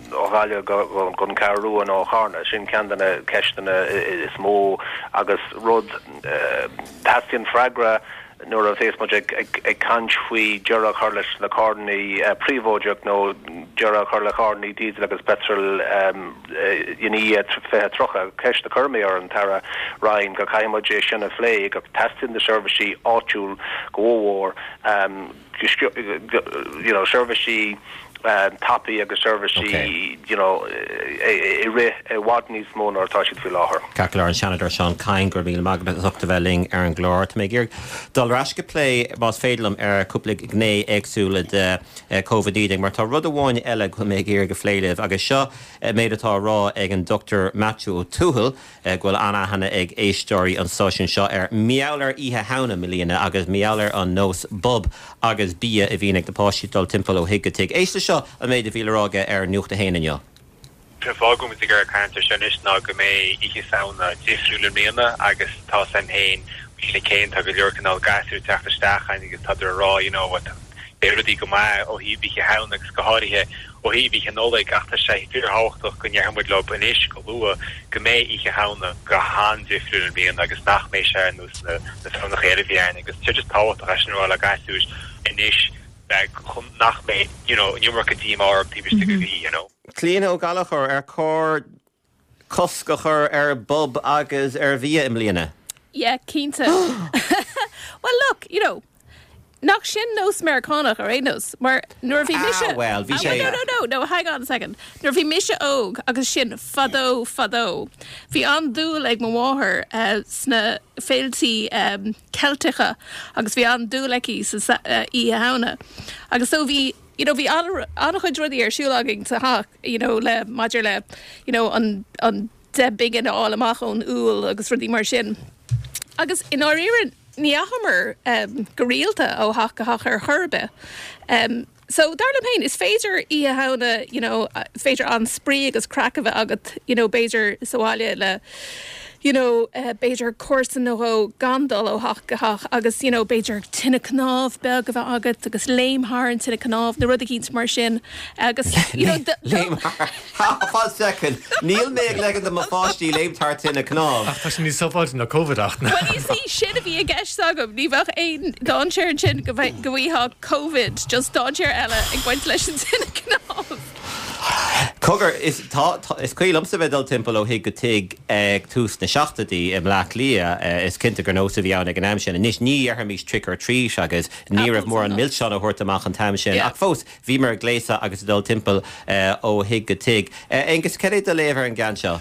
ó Ghaillimh go go an Cheathrú Rua nó ó Charna. Sin ceann de na ceisteanna is mó agus rud teastaíonn freagra Nuair a bhéas muid ag caint faoi deireadh a chur leis na carrannaí príobháideach nó deireadh a chur le carrannaí díosal agus peitril i ndiaidh 2030, ceist a chuir mé ar an tAire Ryan go caithfidh muid é sin a phlé, go teastaíonn na seirbhísí áitiúil go mhór. you know seirbhísí tapaí agus seirbhísí you know ag rith i bhfad níos mó ná atá siad faoi láthair. Ceart go leor, an Seanadóir Seán Kyne, go raibh míle maith agat as ucht a bheith linn ar an gclár. Tá mé ag iarraidh dul ar ais go plé, más féidir liom, ar cúpla gné éagsúla de Covid-19 mar tá rud amháin eile go bhfuil mé ag iarraidh a phlé libh agus seo méid atá á rá ag an Dr Maitiú Ó Tuathail, go bhfuil an-aithne ag éisteoirí an stáisiúin seo air. Mar gheall ar Oíche Shamhna i mbliana agus mar gheall ar an nós bob agus bia a bhíonn ag na páistí dul timpeall ó thigh go tigh. Éist leis seo, an méid a bhí le rá aige ar Nuacht a hAon inniu. An fáth go bhfuil muid ag iarraidh caint ar seo anois ná go mbeidh Oíche Samhna difriúil i mbliana agus tá 's a'm féin, faoi na céin, tá go leor cineál gasúir ag teacht isteach againn agus tádar ag rá you know what, beidh rudaí go maith ó thaobh Oíche Shamhna agus go háirithe ó thaobh Oíche Nollag ach tá sé fíorthábhachtach go ndéarfaidh muid leo anois go luath go mbeidh Oíche Shamhna go han-difriúil i mbliana agus nach mbeidh sé ar nós na Samhnacha eile a bhí ann agus tá sé just tábhachtach é sin a rá le gasúir anois chun nach mbeidh you know an iomarca díomá orthu taobh istigh de mhí you know. Clíona Ó Gallchóir, ar chóir cosc a chur ar bob agus ar bhia i mbliana? Yeah, cinnte. Well look, you know, nach sin nós Meiriceánach ar aon nós, mar nuair a bhí mise... Ah, well, bhí sé... No, no, no, no, hang on a second. Nuair a bhí mise óg, agus sin fadó, fadó, bhí an-dúil ag mo mháthair uh, sna féiltí um, Ceilteacha agus bhí an-dúil aici sa uh, Oíche Shamhna. Agus so bhí, you know, bhí an-chuid rudaí ar siúl againn sa theach. you know le maidir le you know an an 10 bpingin a fháil amach ón úll agus rudaí mar sin. Agus i ndáiríre ní dheachamar um, go rialta ó theach go theach ar chor ar bith. Um, so dar liom féin is féidir Oíche Shamhna you know, féidir an-spraoi agus craic a bheith agat you know, b'fhéidir sa bhaile le you know, eh, b'fhéidir comharsa nó dhó gan dul ó theach go theach agus you know, b'fhéidir tine cnámh beag a bheith agat agus léim thar an tine cnámh nó rud eicínt mar sin agus you know, Léim thar, fan soicind, níl mé ag ligean do mo pháistí léim thar tine cnámh. Ach tá sé níos sábháilte ná Covid ach. Well you see, sin a bhí i gceist agam, ní bheadh aon dainséar ansin go bhfaighfeá Covid, just dainséar eile ag baint leis an tine cnámh. Cogar, is tá, is cuimhin liomsa bheith ag dul timpeall ó thigh go tigh ag tús na seachtóidí i mBleá Cliath. Is cinnte gur nós a bhí ann ag an am sin. Anois ní dhéarfaimis trick or treat agus ní raibh mórán milseán á thabhairt amach an t-am sin ach fós bhíomar ag gléasadh agus ag dul timpeall ó thigh go tigh. Aengus, cad é do léamh ar an gceann seo?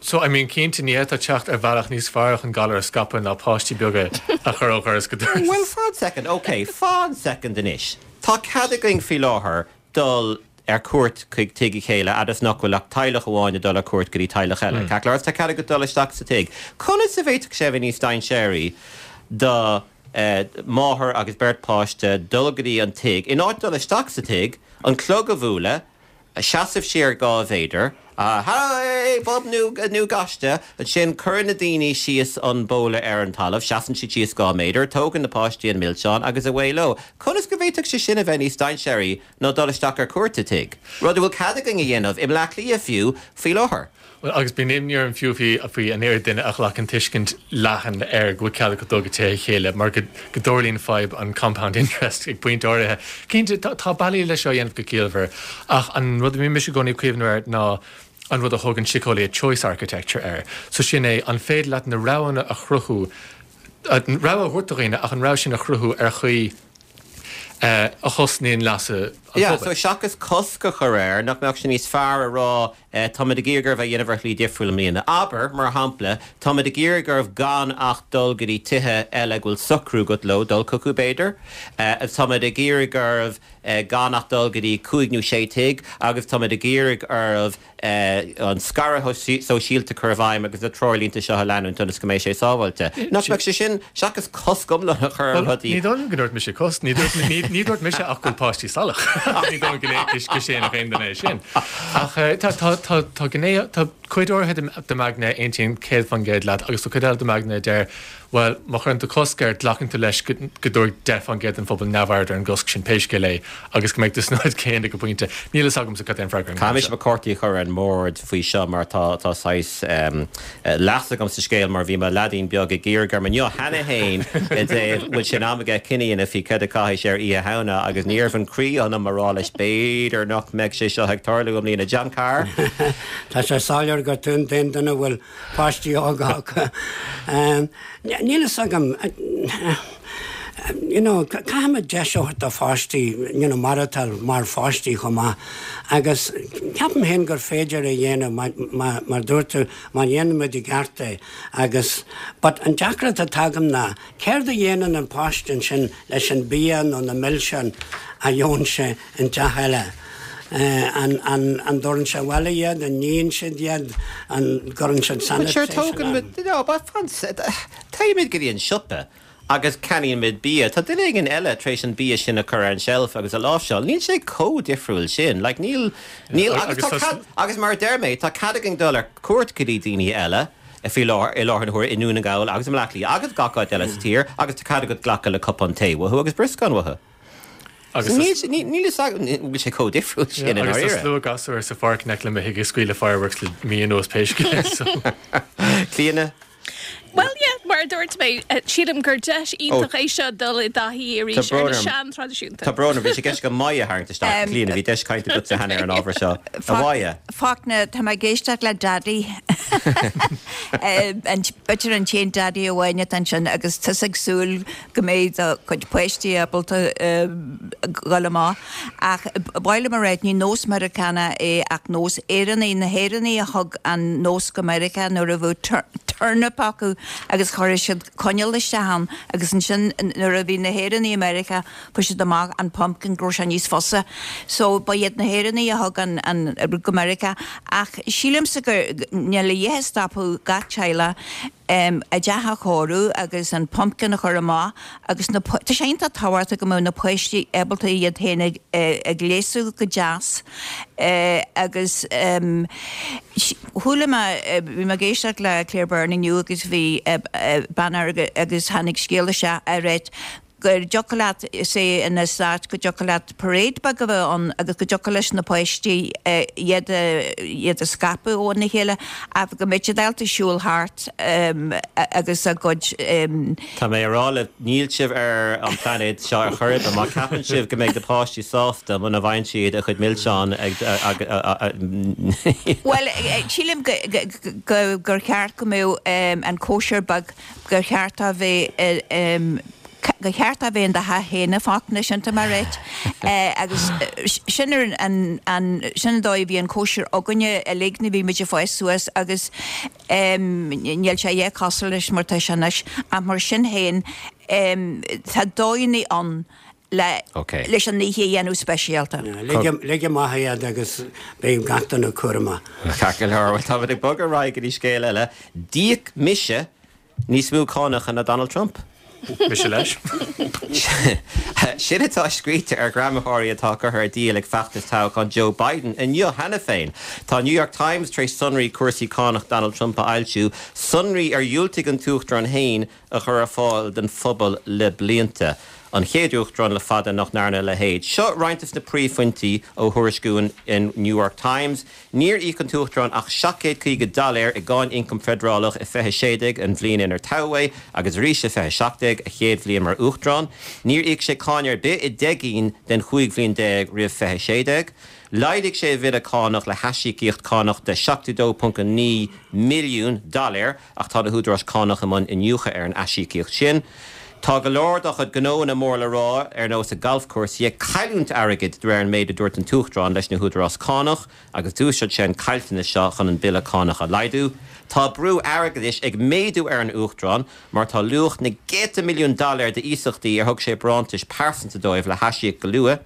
So, I mean, cinnte, ní fhéadfá teacht ar bhealach níos fearr chun galar a scaipeadh ná páistí beaga a chur ó dhoras go doras. Bhuel, fan soicind, ok, fan soicind anois. Tá cead againn faoi láthair dul ar cuairt chuig tigh a chéile fhad is nach bhfuil ach teaghlach amháin ag dul ar cuairt go dtí teaghlach eile. Ceart go leor, tá cead agat dul isteach sa tigh. Conas a bhféadfadh sé a bheith níos dainséaraí do mháthair agus beirt páiste dul go dtí an tigh, in áit dul isteach sa tigh, an clog a bhualadh, seasamh siar 2 mhéadar. Hey, bub nó nó gaiste! Ansin cuireann na daoine síos an bóla ar an talamh, seasann siad síos 2 méadar, tógann na páistí an milseán agus away leo. Conas go bhféadfadh sé sin a bheith níos dainséaraí ná dul isteach ar cuairt i dtigh? Rud a bhfuil cead againn a dhéanamh, i mBleá Cliath fiú, faoi láthair. Bhuel, agus bíonn imní orm fiú faoi an oiread duine a ghlacann tuiscint leathan ar go bhfuil cead acu dul go tithe a chéile mar go dtarlaíonn fadhb an compound interest ag pointe áirithe. Cinnte, tá bealaí leis seo a dhéanamh go ciallmhar, ach an rud a mbíonn mise i gcónaí ag cuimhneamh air ná an rud a thugann síceolaithe choice architecture air. So sin é, an féidir leat na roghanna a chruthú, an rogha a thabhairt do dhaoine ach an rogha sin a chruthú ar chaoi a chosnaíonn leasa an phobail. Yeah, so seachas cosc a chur air, nach mbeadh sé níos fearr a rá Táimid ag iarraidh oraibh é a dhéanamh ar shlí difriúil i mbliana. Abair, mar shampla, táimid ag iarraidh oraibh gan ach dul go dtí tithe eile go bhfuil socrú agat leo dul chucu, b'fhéidir. Táimid ag iarraidh oraibh gan ach dul go dtí cúig nó sé tigh agus táimid ag iarraidh oraibh an scaradh sóisialta a chur i bhfeidhm agus na treoirlínte seo a leanúint ionas go mbeidh sé sábháilte. Nach mbeadh sé sin, seachas cosc iomlán a chur ar rudaí. Ní dóigh liom go ndúirt mise cosc. Ní dúirt mise ach go bhfuil páistí salach. Ní dóigh liom go séanfadh aon duine é sin. Ach tá, tá, tá, tá gné, tá cuid áirithe de m'aigne a aontaíonn 100% leat agus tá cuid eile de m'aigne a deir, bhuel, má chuireann tú cosc air, glacann tú leis go, go dtabharfaidh 10% den phobal neamhaird ar an gcosc sin pé scéal é agus go mbeidh tú san áit chéanna ag an bpointe. Níl fhios agamsa cad é an freagra ar an Caithfidh mise mo chártaí a chur ar an mbord faoi seo mar tá, tá saghas leas agam sa scéal mar bhí mo leaidín beag ag iarraidh orm inniu cheana féin i dtaobh bhfuil sé in am aige cinneadh a dhéanamh faoi céard a chaithfidh sé ar Oíche Shamhna agus ní raibh an croí ionam a rá leis b'fhéidir nach mbeidh sé seo ag tarlú i mbliana. John Carr. Tá sé soiléir gur tú an t-aon duine a bhfuil páistí óga acu. Níl fhios agam. You know, caithfimid deis a thabhairt do pháistí, you know, maireachtáil mar pháistí chomh maith. Agus ceapaim féin gur féidir a dhéanamh, mar dúirt tú, má dhéanaimid i gceart é. Agus, but an deacracht atá agam ná, céard a dhéanann an páiste ansin leis an bia nó na milseáin a gheobhann sé in teach eile? An, an, an dtabharann sé abhaile iad, an níonn siad iad, an gcuireann siad But sure, sanitation tógann ann? muid, no, but fan, téimid go dtí an siopa. Agus ceannaíonn muid bia. Tá duine éigin eile tar éis an bia sin a chur ar an tseilf agus a láimhseáil. Níl sé chomh difriúil sin. Like, níl, níl, agus tá cead, agus mar a deir mé, tá cead againn dul ar cuairt go dtí daoine eile faoi láthair, i láthair na huaire i nDún na nGall agus i mBleá Cliath agus gach áit eile sa tír agus tá cead agat glacadh le cupán tae uathu agus brioscán uathu. Agus Níl, níl fhios agam, bhfuil sé chomh difriúil sin i Agus tá ndáiríre. slua gasúr sa pháirc in aice le mo thigh ag scaoileadh fireworks le mí anuas pé scéal é so. Clíona? Bhuel, yeah, mar a dúirt mé, sílim gur deis iontach é seo dul i dtaithí arís Tá ar brón na orm. sean-traidisiúnta. Tá brón orm, bhí sé i gceist agam Moya a tharraingt isteach. Clíona, bhí deis cainte agatsa cheana ar an ábhar seo. A Mhoya. Fachtna, tá mé ag éisteacht le Daidí. B'fhéidir an t-aon Daidí amháin atá ansin agus tusa ag súil go mbeidh do chuid páistí ábalta dhul amach. Ach ba mhaith liom a rá, ní nós Meiriceánach é ach nós Éireannaigh. Na hÉireannaigh a thug an nós go Meiriceá nuair a bheadh turnip acu agus chuireadh siad coinneal isteach ann agus ansin nuair a bhí na hÉireannaigh i Meiriceá fuair siad amach an pumpkin go raibh sé níos fusa. So ba iad na hÉireannaigh a thug an rud go Meiriceá. Ach sílimse gur níl a dhath ag stopadh gach teaghlach a dteach a chóiriú agus an pumpkin a chur amach agus na, tá sé iontach tábhachtach go mbeadh na páistí ábalta iad féin a ghléasadh go deas agus chuala mé, bhí mé ag éisteacht le Claire Byrne inniu agus bhí bean agus tháinig scéal isteach a rá go dtiocfadh leat, say in the States, go dtiocfadh leat parade beag a bheith ann agus go dtiocfadh leis na páistí iad a, iad a scaipeadh óna chéile ach go mbeadh siad ábalta siúl thart agus a gcuid. Tá mé a rá libh, níl sibh ar an bplainéad seo ar chor ar bith má ceapann sibh go mbeidh na páistí sásta muna bhfaigheann siad a chuid milseán ag. Bhuel, sílim gur cheart go mbeadh an cóisir beag gur cheart a bheith gur cheart a bheith in do theach féin a Fhachtna, sin tá mé ag ráit. Agus sin ar an an sin an dóigh a bhí an cóisir againne uilig nuair a bhí muid ag fás suas agus níl sé a dhath cosúil leis mar tá sé anois ach mar sin féin tá dóigheanna ann le leis an oíche a dhéanamh speisialta. Lig amach iad agus beidh gach duine cúramach. Ceart go leor, bhuel táimid ag bogadh ar aghaidh go dtí scéal eile. D'íoc mise níos mó cánacha ná Donald Trump. Mise leis. Sin atá scríte ar ghreamaitheoirí atá curtha ar díol ag feachtas toghcháin Joe Biden inniu cheana féin. Tá New York Times tar éis sonraí cúrsaí cánach Donald Trump a fhoilsiú, sonraí ar dhiúltaigh an tUachtarán féin a chur ar fáil don phobal le blianta. An chéad Uachtarán le fada nach ndearna a leithéid. Seo roinnt de na príomhphointí ó thuairisciú an New York Times. Níor íoc an tUachtarán ach 750 doiléir i gcáin ioncaim feidearálach i 2016, an bhliain inar toghadh é, agus arís i 2017, a chéad bhliain mar Uachtarán. Níor íoc sé cáin ar bith i deich gcinn den chúig bhliain roimh 2016. Laghdaigh sé a bhille cánach le haisíocaíocht cánach de 72.9 milliún doiléir. Ach tá na húdaráis cánach i mbun iniúchadh ar an aisíocaíocht sin. Tá go leor dá chuid gnóanna mór le rá, ar nós a galfchúrsaí, ag cailliúint airgid de réir an méid a dúirt an tUachtarán leis na húdaráis cánach agus d'úsáid sé an caillteanas seo chun an bille cánach a laghdú. Tá brú airgeadais ag méadú ar an Uachtarán mar tá luach na gcéadta milliún doiléir d'iasachtaí ar thug sé barántais pearsanta dóibh le haisíoc go luath.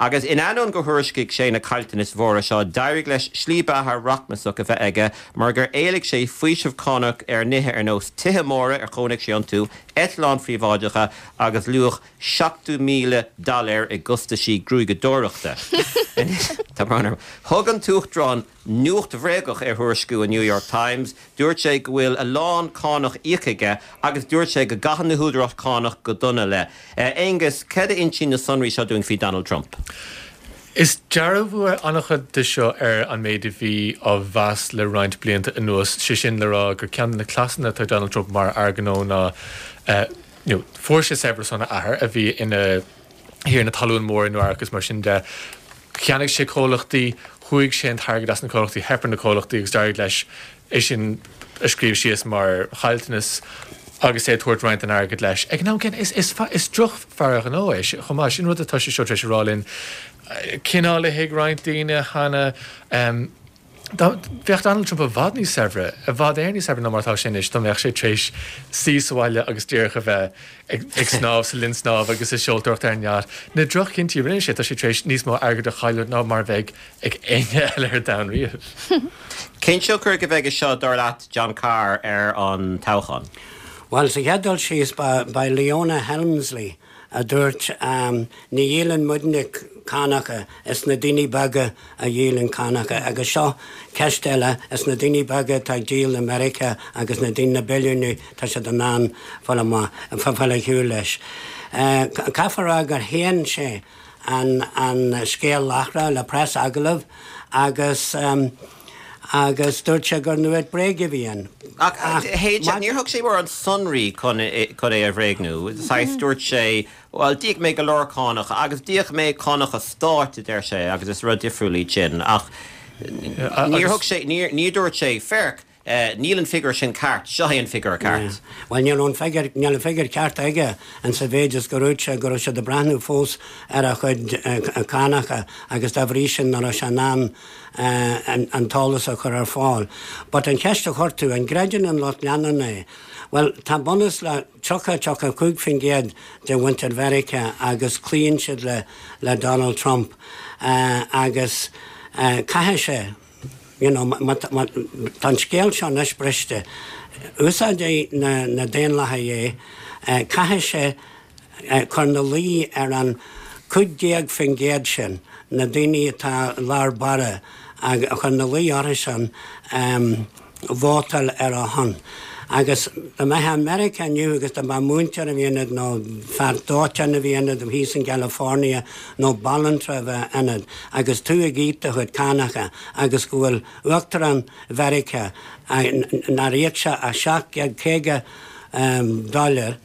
Agus in ainneoin gur thuairiscigh sé na caillteanais mhóra seo, d'éirigh leis slí beatha rachmasach a bheith aige mar gur éiligh sé faoiseamh cánach ar nithe ar nós tithe móra ar chónaigh sé iontu, eitleáin phríobháideacha agus luach 70,000 doiléir i gcostaisí gruaigeadóireachta. Tá brón orm. Thug an tUachtarán nuacht bhréagach ar thuairisciú an New York Times. Dúirt sé go bhfuil a lán cánach íoctha aige agus dúirt sé go gcaitheann na húdaráis cánach go dona leis. Aengus, cad a insíonn na sonraí seo dúinn faoi Donald Trump? Is dearbhú é an-chuid de seo ar an méid a bhí á mheas le roinnt blianta anuas, sé sin le rá gur ceann de na cleasanna atá ag Donald Trump mar fhear gnó ná you know fuair sé saibhreas óna athair a bhí ina thiarna talún mór i Nua Eabhrac agus mar sin de. Cheannaigh sé comhlachtaí, shúigh sé an t-airgead as na comhlachtaí, theip ar na comhlachtaí agus d'éirigh leis é sin a scríobh síos mar chaillteanas agus é ag tabhairt roinnt den airgead leis. Ag an am céanna, is, is, is drochfhear gnó é chomh maith. Sin rud atá sé seo tar éis a rá linn. Cineál a thuig roinnt daoine cheana. Bheadh Donald Trump i bhfad níos saibhre, i bhfad Éireann níos saibhre ná mar atá sé anois dá mbeadh sé tar éis suí sa bhaile agus díreach a bheith ag snámh sa linn snámha agus ag seoltóireacht ar an yacht. Na droch-chinntí a rinne sé, tá sé tar éis níos mó airgid a chailliúint ná mar a bheidh ag éinne eile ar domhan riamh. Cén tionchar a bheidh aige seo, dar leat, John Carr, ar an toghchán? Bhuel, sa chéad dul síos, ba í Leona Helmsley a dúirt, Ní dhíolann muidne cánacha, is na daoine beaga a dhíolann cánacha. Agus seo ceist eile, is na daoine beaga atá ag díol i Meiriceá agus na daoine, na billiúnaigh, tá siad in ann fáil amach, fáil ar shiúl leis. Caithfear a rá gur shéan sé an scéal láithreach le preas-agallamh agus agus dúirt sé gur nuacht bréige a bhí ann. Ach shéan sé, níor thug sé mórán sonraí chun é a bhréagnú. Saghas, dúirt sé, bhuel, d'íoc mé go leor cánacha agus d'íoc mé cánacha stáit, a deir sé, agus is rud difriúil iad sin. Ach níor thug sé, níor dúirt sé, féach, Níl an figiúr sin ceart. Seo é an figiúr ceart. Bhuel, níl an figiúr, níl an figiúr ceart aige in sa mhéid is gur dhúirt sé go raibh siad ag breathnú fós ar a chuid cánacha agus dá bhrí sin nach raibh sé in ann an t-eolas a chur ar fáil. But an cheist a chuir tú, an gcreideann an lucht leanúna é? Bhuel, tá bunús le 30, 35% de mhuintir Mheiriceá agus cloíonn siad le le Donald Trump agus caithfidh sé, You know, má tá an scéal seo anois briste, úsáidfidh na Daonlathaigh é, caithfidh sé cur ina luí ar an 15% sin, na daoine atá i lár báire, a chur ina luí orthu sin vótáil ar a shon. Agus dá mbeifeá i Meiriceá inniu agus dá mba múinteoir a bhí ionat nó fear dóiteáin a bhí ionat thíos in California nó banaltra a bheith ionat agus tú ag íoc do chuid cánacha agus go bhfuil Uachtarán Mheiriceá nár íoc sé ach 750 dollar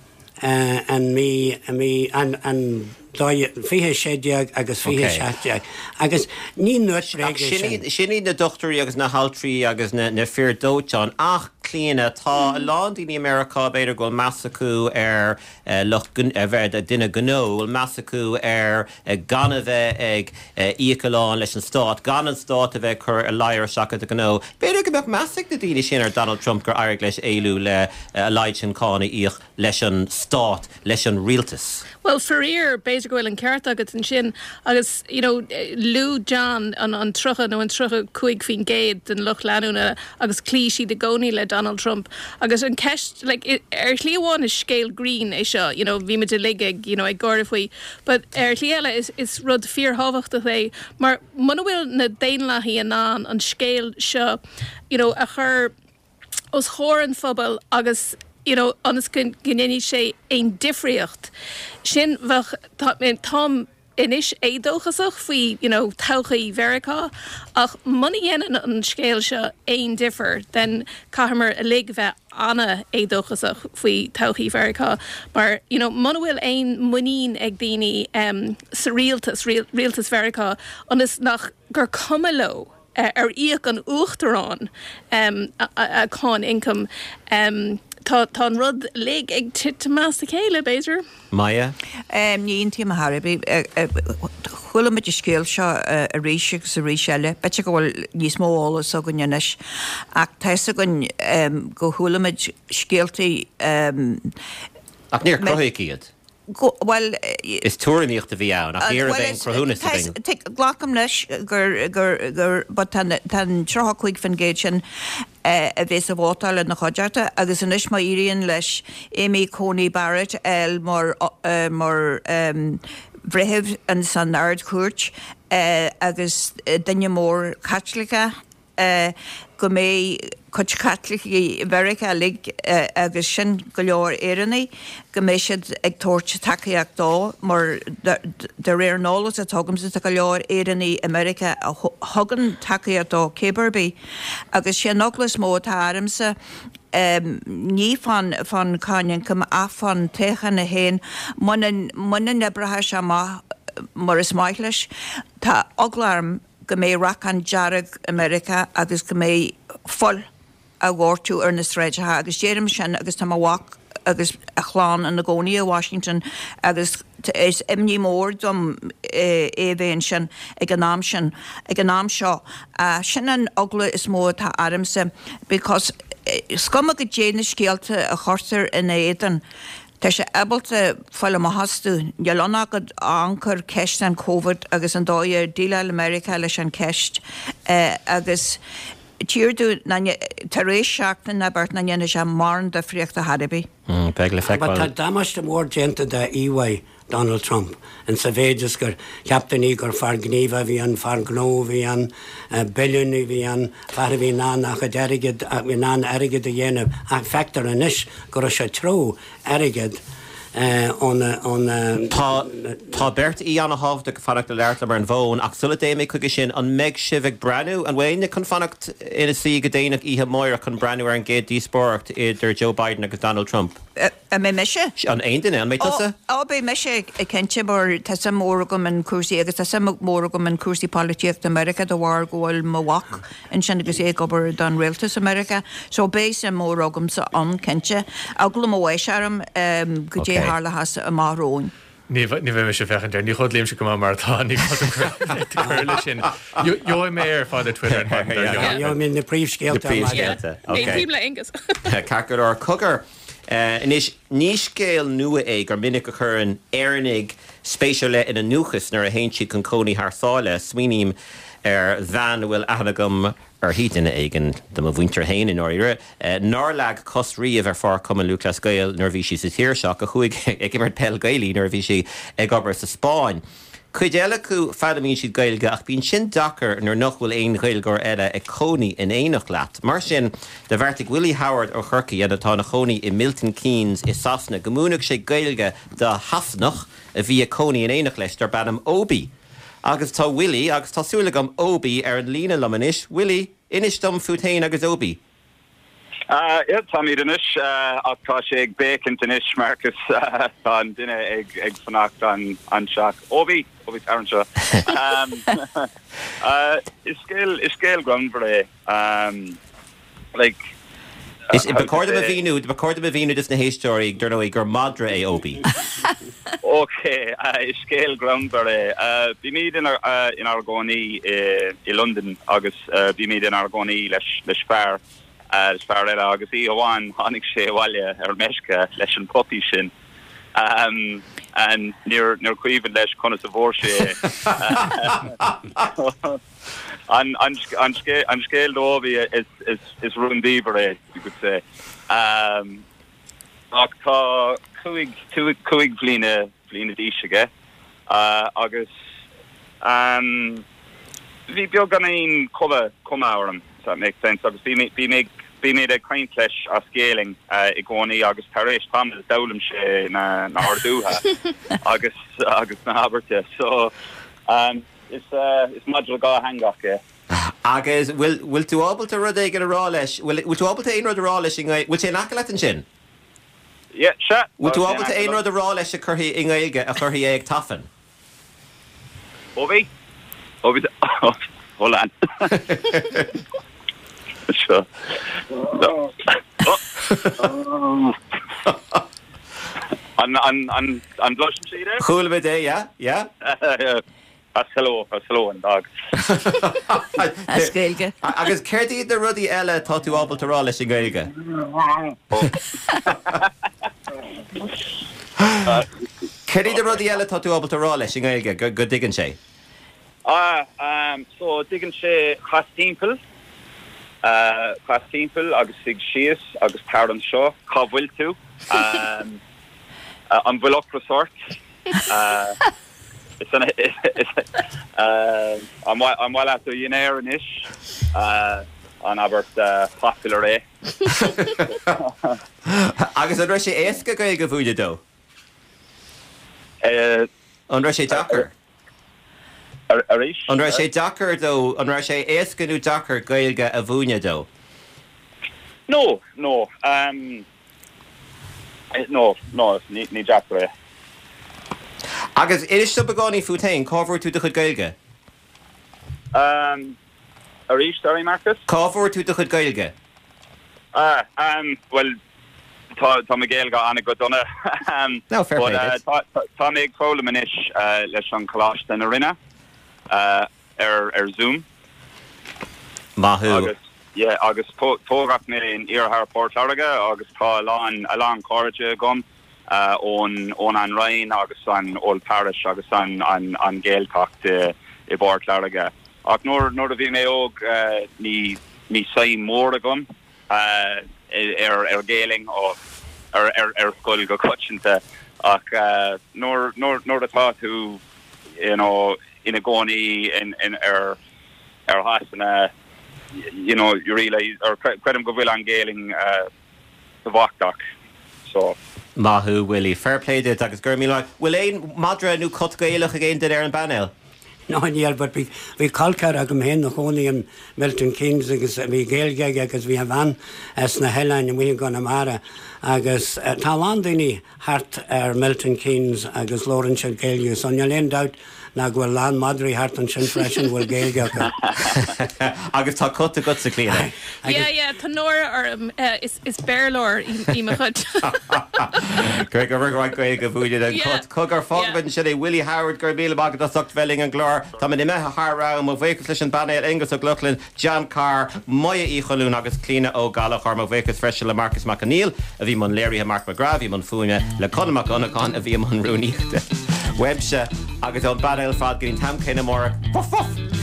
an mí, mí, an, an 2016 agus 2017 agus ní nuacht bhréige é sin. Sin iad na dochtúirí agus na haltraí agus na fir dóiteáin ach, Clíona, tá a lán daoine i Meiriceá, b'fhéidir go bhfuil meas acu ar lucht, a bheith duine gnó, go bhfuil meas acu ar gan a bheith ag íoc a lán leis an stát, gan an stát a bheith ag cur a ladhar isteach i do ghnó. B'fhéidir go mbeadh meas ag na daoine sin ar Donald Trump gur éirigh leis éalú le a laghad sin cáin a íoc leis an stát, leis an rialtas. Bhuel, faraor, b'fhéidir. b'fhéidir go bhfuil an ceart agat ansin agus, you know, luaigh John an an 30 nó an 35% den lucht leanúna agus chloígh siad i gcónaí le Donald Trump agus an ceist, like, ar shlí amháin is scéal grinn é seo, you know, bhí muid uilig ag, you know, ag gáire faoi but ar shlí eile is is rud fíorthábhachtach é mar muna bhfuil na Daonlathaigh in ann an scéal seo, you know, a chur os comhair an phobail agus you know ionas go ndéanfaidh sé aon difríocht sin bheadh táim anois éadóchasach faoi you know todhchaí Mheiriceá ach muna dhéanann an scéal seo aon difear then caithfimid uilig bheith ana-éadóchasach faoi todhchaí Mheiriceá mar you know muna bhfuil aon muinín ag daoine um, sa rialtas rialtas Mheiriceá ionas nach gur cuma leo ar íoc an Uachtarán a cáin ioncaim. Tá an rud uilig ag titim as a chéile, b'fhéidir. Maya? Ní aontaím ar chor ar bith. Chuala muid an scéal seo arís agus arís eile. B'fhéidir go bhfuil níos mó eolas againn anois ach tá fhios againn go chuala muid scéaltaí. Ach níor cruthaíodh iad. Go, bhuel. Is tuairimíocht a bhí ann, ach ní raibh aon chruthúnas againn. Glacaim leis gur, gur, gur, but tá an, tá an 35% sin a bhéas ag vótáil ina chuideachta agus anois má éiríonn leis Amy Coney Barrett a fháil mar, mar bhreitheamh ins an Ard-Chúirt agus duine mór Caitliceach, go mbeidh cuid Chaitlicigh Mheiriceá uilig agus sin go leor Éireannaigh, go mbeidh siad ag tabhairt tacaíocht dó mar de réir an eolas atá agamsa tá go leor Éireannaigh i Meiriceá a thugann tacaíocht dó cé ar bith. Agus sé an eagla is mó atá ormsa ní fán fán cáin ioncaim ach fán toghchán é féin muna muna n-oibreoidh sé amach mar is maith leis tá eagla orm go mbeidh racán dearg i Meiriceá agus go mbeidh fuil á dhoirteadh ar na sráideacha agus deirim sin agus tá mo mhac agus a chlann ina gcónaí i Washington agus is imní mór dom é a bheith ansin ag an am sin, ag an am seo. Sin an eagla is mó atá ormsa because is cuma goidé na scéalta a chuirtear ina éadan. Tá sé ábalta fáil amach astu. Níl ann ach amharc ar ceist an Covid agus an dóigh ar dhéileáil Meiriceá leis an cheist agus tír dú ná tar éis seachtain ná beirt nach ndéanfaidh sé mórán difríochta chor ar bith. Beidh le feiceáil. Tá damáiste mór déanta dá íomhá Donald Trump, in sa mhéid is gur cheap daoine gur fear gníomhach a bhí ann, fear gnó a bhí ann, billiúnaí a bhí ann, fear a bhí in ann a chuid airgid, a bhí in ann airgead a dhéanamh ach feictear anois go raibh sé ag treabhadh airgead óna, óna. Tá, tá beirt aoi ana-thábhachtach ag fanacht le labhairt liom ar an bhfón ach sula dtéim mé chuige sin, an mbeidh sibh ag breathnú, an bhfuil éinne chun fanacht ina suí go déanach oíche amáireach chun breathnú ar an gcéad díospóireacht idir Joe Biden agus Donald Trump? An mbeidh mise? An aon duine? An mbeidh tusa? Ó, beidh mise cinnte mar tá suim mhór agam in cúrsaí agus tá suim mhór agam in cúrsaí polaitíochta Meiriceá de bharr go bhfuil mo mhac ansin agus é ag obair don rialtas i Meiriceá. So beidh suim mhór agamsa ann cinnte. Eagla mo bháis orm goidé a tharlóchas amach romhainn. Ní bheidh mise ag féachaint air. Ní chodlaímse go maith mar atá, ní gá dom cur leis sin. Gheobhaidh mé é ar fad ar Twitter an maidin dár gcionn. Gheobhaidh mé na príomhscéalta ar maidin. Aontaím le Aengus. Ceart go leor. Cogar, anois, ní scéal nua é gur minic a chuireann Éireannaigh spéis ar leith ina ndúchas nuair a théann siad chun cónaí thar sáile. Smaoiním ar bhean a bhfuil aithne agam uirthi, duine éigin de mo mhuintir féin i ndáiríre, nár leag cos riamh ar pháirc Chumann Lúthchleas Gael nuair a bhí sí sa tír seo, ach a chuaigh ag imirt peil Gaelaí nuair a bhí sí ag obair sa Spáinn. Cuid eile acu, foghlaimíonn siad Gaeilge ach bíonn sin deacair nuair nach bhfuil aon Ghaeilgeoir eile ag cónaí in éineacht leat. Mar sin, do bheartaigh Willie Howard ó Chorcaigh, atá ina chónaí i Milton Keynes i Sasana, go múinfeadh sé Gaeilge do Shasanach a bhí ag cónaí in éineacht leis darb ainm Obi. Agus tá Willie, agus tá súil agam Obi, ar an líne liom anois. Willie, inis dom fút féin agus Obi. Yeah, táimid anois, ach tá sé ag béicint anois, Marcus. Tá an duine ag ag fanacht anseo. Obi! Obi, tar anseo. Is scéal, is scéal greannmhar é. Like, Is, ba chóir dom a mhíniú, ba chóir dom a mhíniú dos na héisteoirí, dar ndóigh, gur madra é Obi. Ok, is scéal greannmhar é. Bímid inár gcónaí i Londain agus bímid inár gcónaí leis leis fear, leis fear eile agus oíche amháin tháinig sé abhaile ar meisce leis an puppy sin. And níor níor cuimhin leis conas a bhfuair sé é. An an an an scéal Dobie is is is rúndiamhair é, you could say. Ach tá 5 5 bhliana bhliana d'aois aige agus bhí beagáinín cuma cuma orm, if that makes sense, agus bhí mé bhí mé bhí mé ag caint leis as Gaelainn i gcónaí agus tar éis tamaill d'fhoghlaim sé na na horduithe agus agus na habairtí. So is is madra dátheangach é. Agus bhfuil bhfuil tú ábalta rud éigin a rá leis, bhfuil bhfuil tú ábalta aon rud a rá leis i nGaeilge, bhfuil sé in aice leat ansin? Yeah, sea. Bhfuil tú ábalta aon rud a rá leis a chuirfidh i nGaeilge, a chuirfidh é ag tafann? Ó bhí. Ó bhí. Hold on. Seo. An, an, an, an gcloiseann siad é? Chuala muid é, yeah, yeah. That's hello, that's hello an dog. As Gaeilge. Agus céard iad na rudaí eile atá tú ábalta rá leis i nGaeilge? Céard iad na rudaí eile atá tú ábalta rá leis i nGaeilge go dtuigeann sé? Ah, so tuigeann sé cas timpeall, cas timpeall agus suigh síos agus tar anseo, cá bhfuil tú? An bhfuil ocras ort? An maith leat do dhinnéar anois? An abairt popular é? Agus an raibh sé éasca Gaeilge a mhúineadh dó? An raibh sé deacair? Arís? An raibh sé deacair dó, an raibh sé éasca nó deacair Gaeilge a mhúineadh dó? No, no. No, no, ní deacair é. Agus inis dom beagáinín fút féin, cá bhfuair tú do chuid Gaeilge? Arís, sorry Marcus? Cá bhfuair tú do chuid Gaeilge? Ah, bhuel, tá, tá mo Ghaeilge an-go dona. No, fair play duit. But tá mé ag foghlaim anois leis an Choláiste na Rinne. Ar ar Zoom. Maith thú. Agus yeah agus tógadh mé in iarthar Port Láirge agus tá a lán a lán cairde agam ón ón An Rinn agus an Old Parish agus an an an Ghaeltacht i i bPort Láirge. Ach nuair nuair a bhí mé óg ní ní suim mór agam ar ar Ghaelainn ó ar ar ar scoil go coitianta ach nuair nuair nuair atá tú you know ina gcónaí in in ar ar Shasana you know you realise or creidim go bhfuil an Ghaelainn tábhachtach so. Maith thú Willie. Fair play duit agus go raibh míle maith. Bhfuil aon madra nó cat Gaelach ag aon duine ar an bpainéal? No níl but bhí bhí col ceathar agam féin ina chónaí in Milton Keynes agus bhí Gaeilge aige agus bhí a bhean as na hoileáin amuigh i gConamara agus tá a lán daoine thart ar Milton Keynes agus labhrann siad Gaeilge so níl aon dabht ná go bhfuil a lán madraí thart ansin freisin a bhfuil Gaeilge acu. Agus tá cat agatsa, Clíona. Yeah, yeah, tá náire orm, is is Béarlóir í mo chuid. Go raibh maith Gaeilge a mhúineadh don chat. Cogar, fágfaimid ansin é. Willie Howard, go raibh míle maith agat as ucht bheith linn ar an gclár. Táimid imithe thar am. Mo bhuíochas leis an bpainéal, Aengus Ó Lochlainn, John Carr, Moya Uí Cholúin agus Clíona Ó Gallchóir. Mo bhuíochas freisin le Marcus Mac Conghail a bhí i mbun léirithe, Mark McGrath a bhí i mbun fuaime, le Conall Mac Dhonnacháin a bhí i mbun rúnaíochta. Uaimse agus ón bpainéal ar fad go dtí an t-am céanna amárach. Woof woof!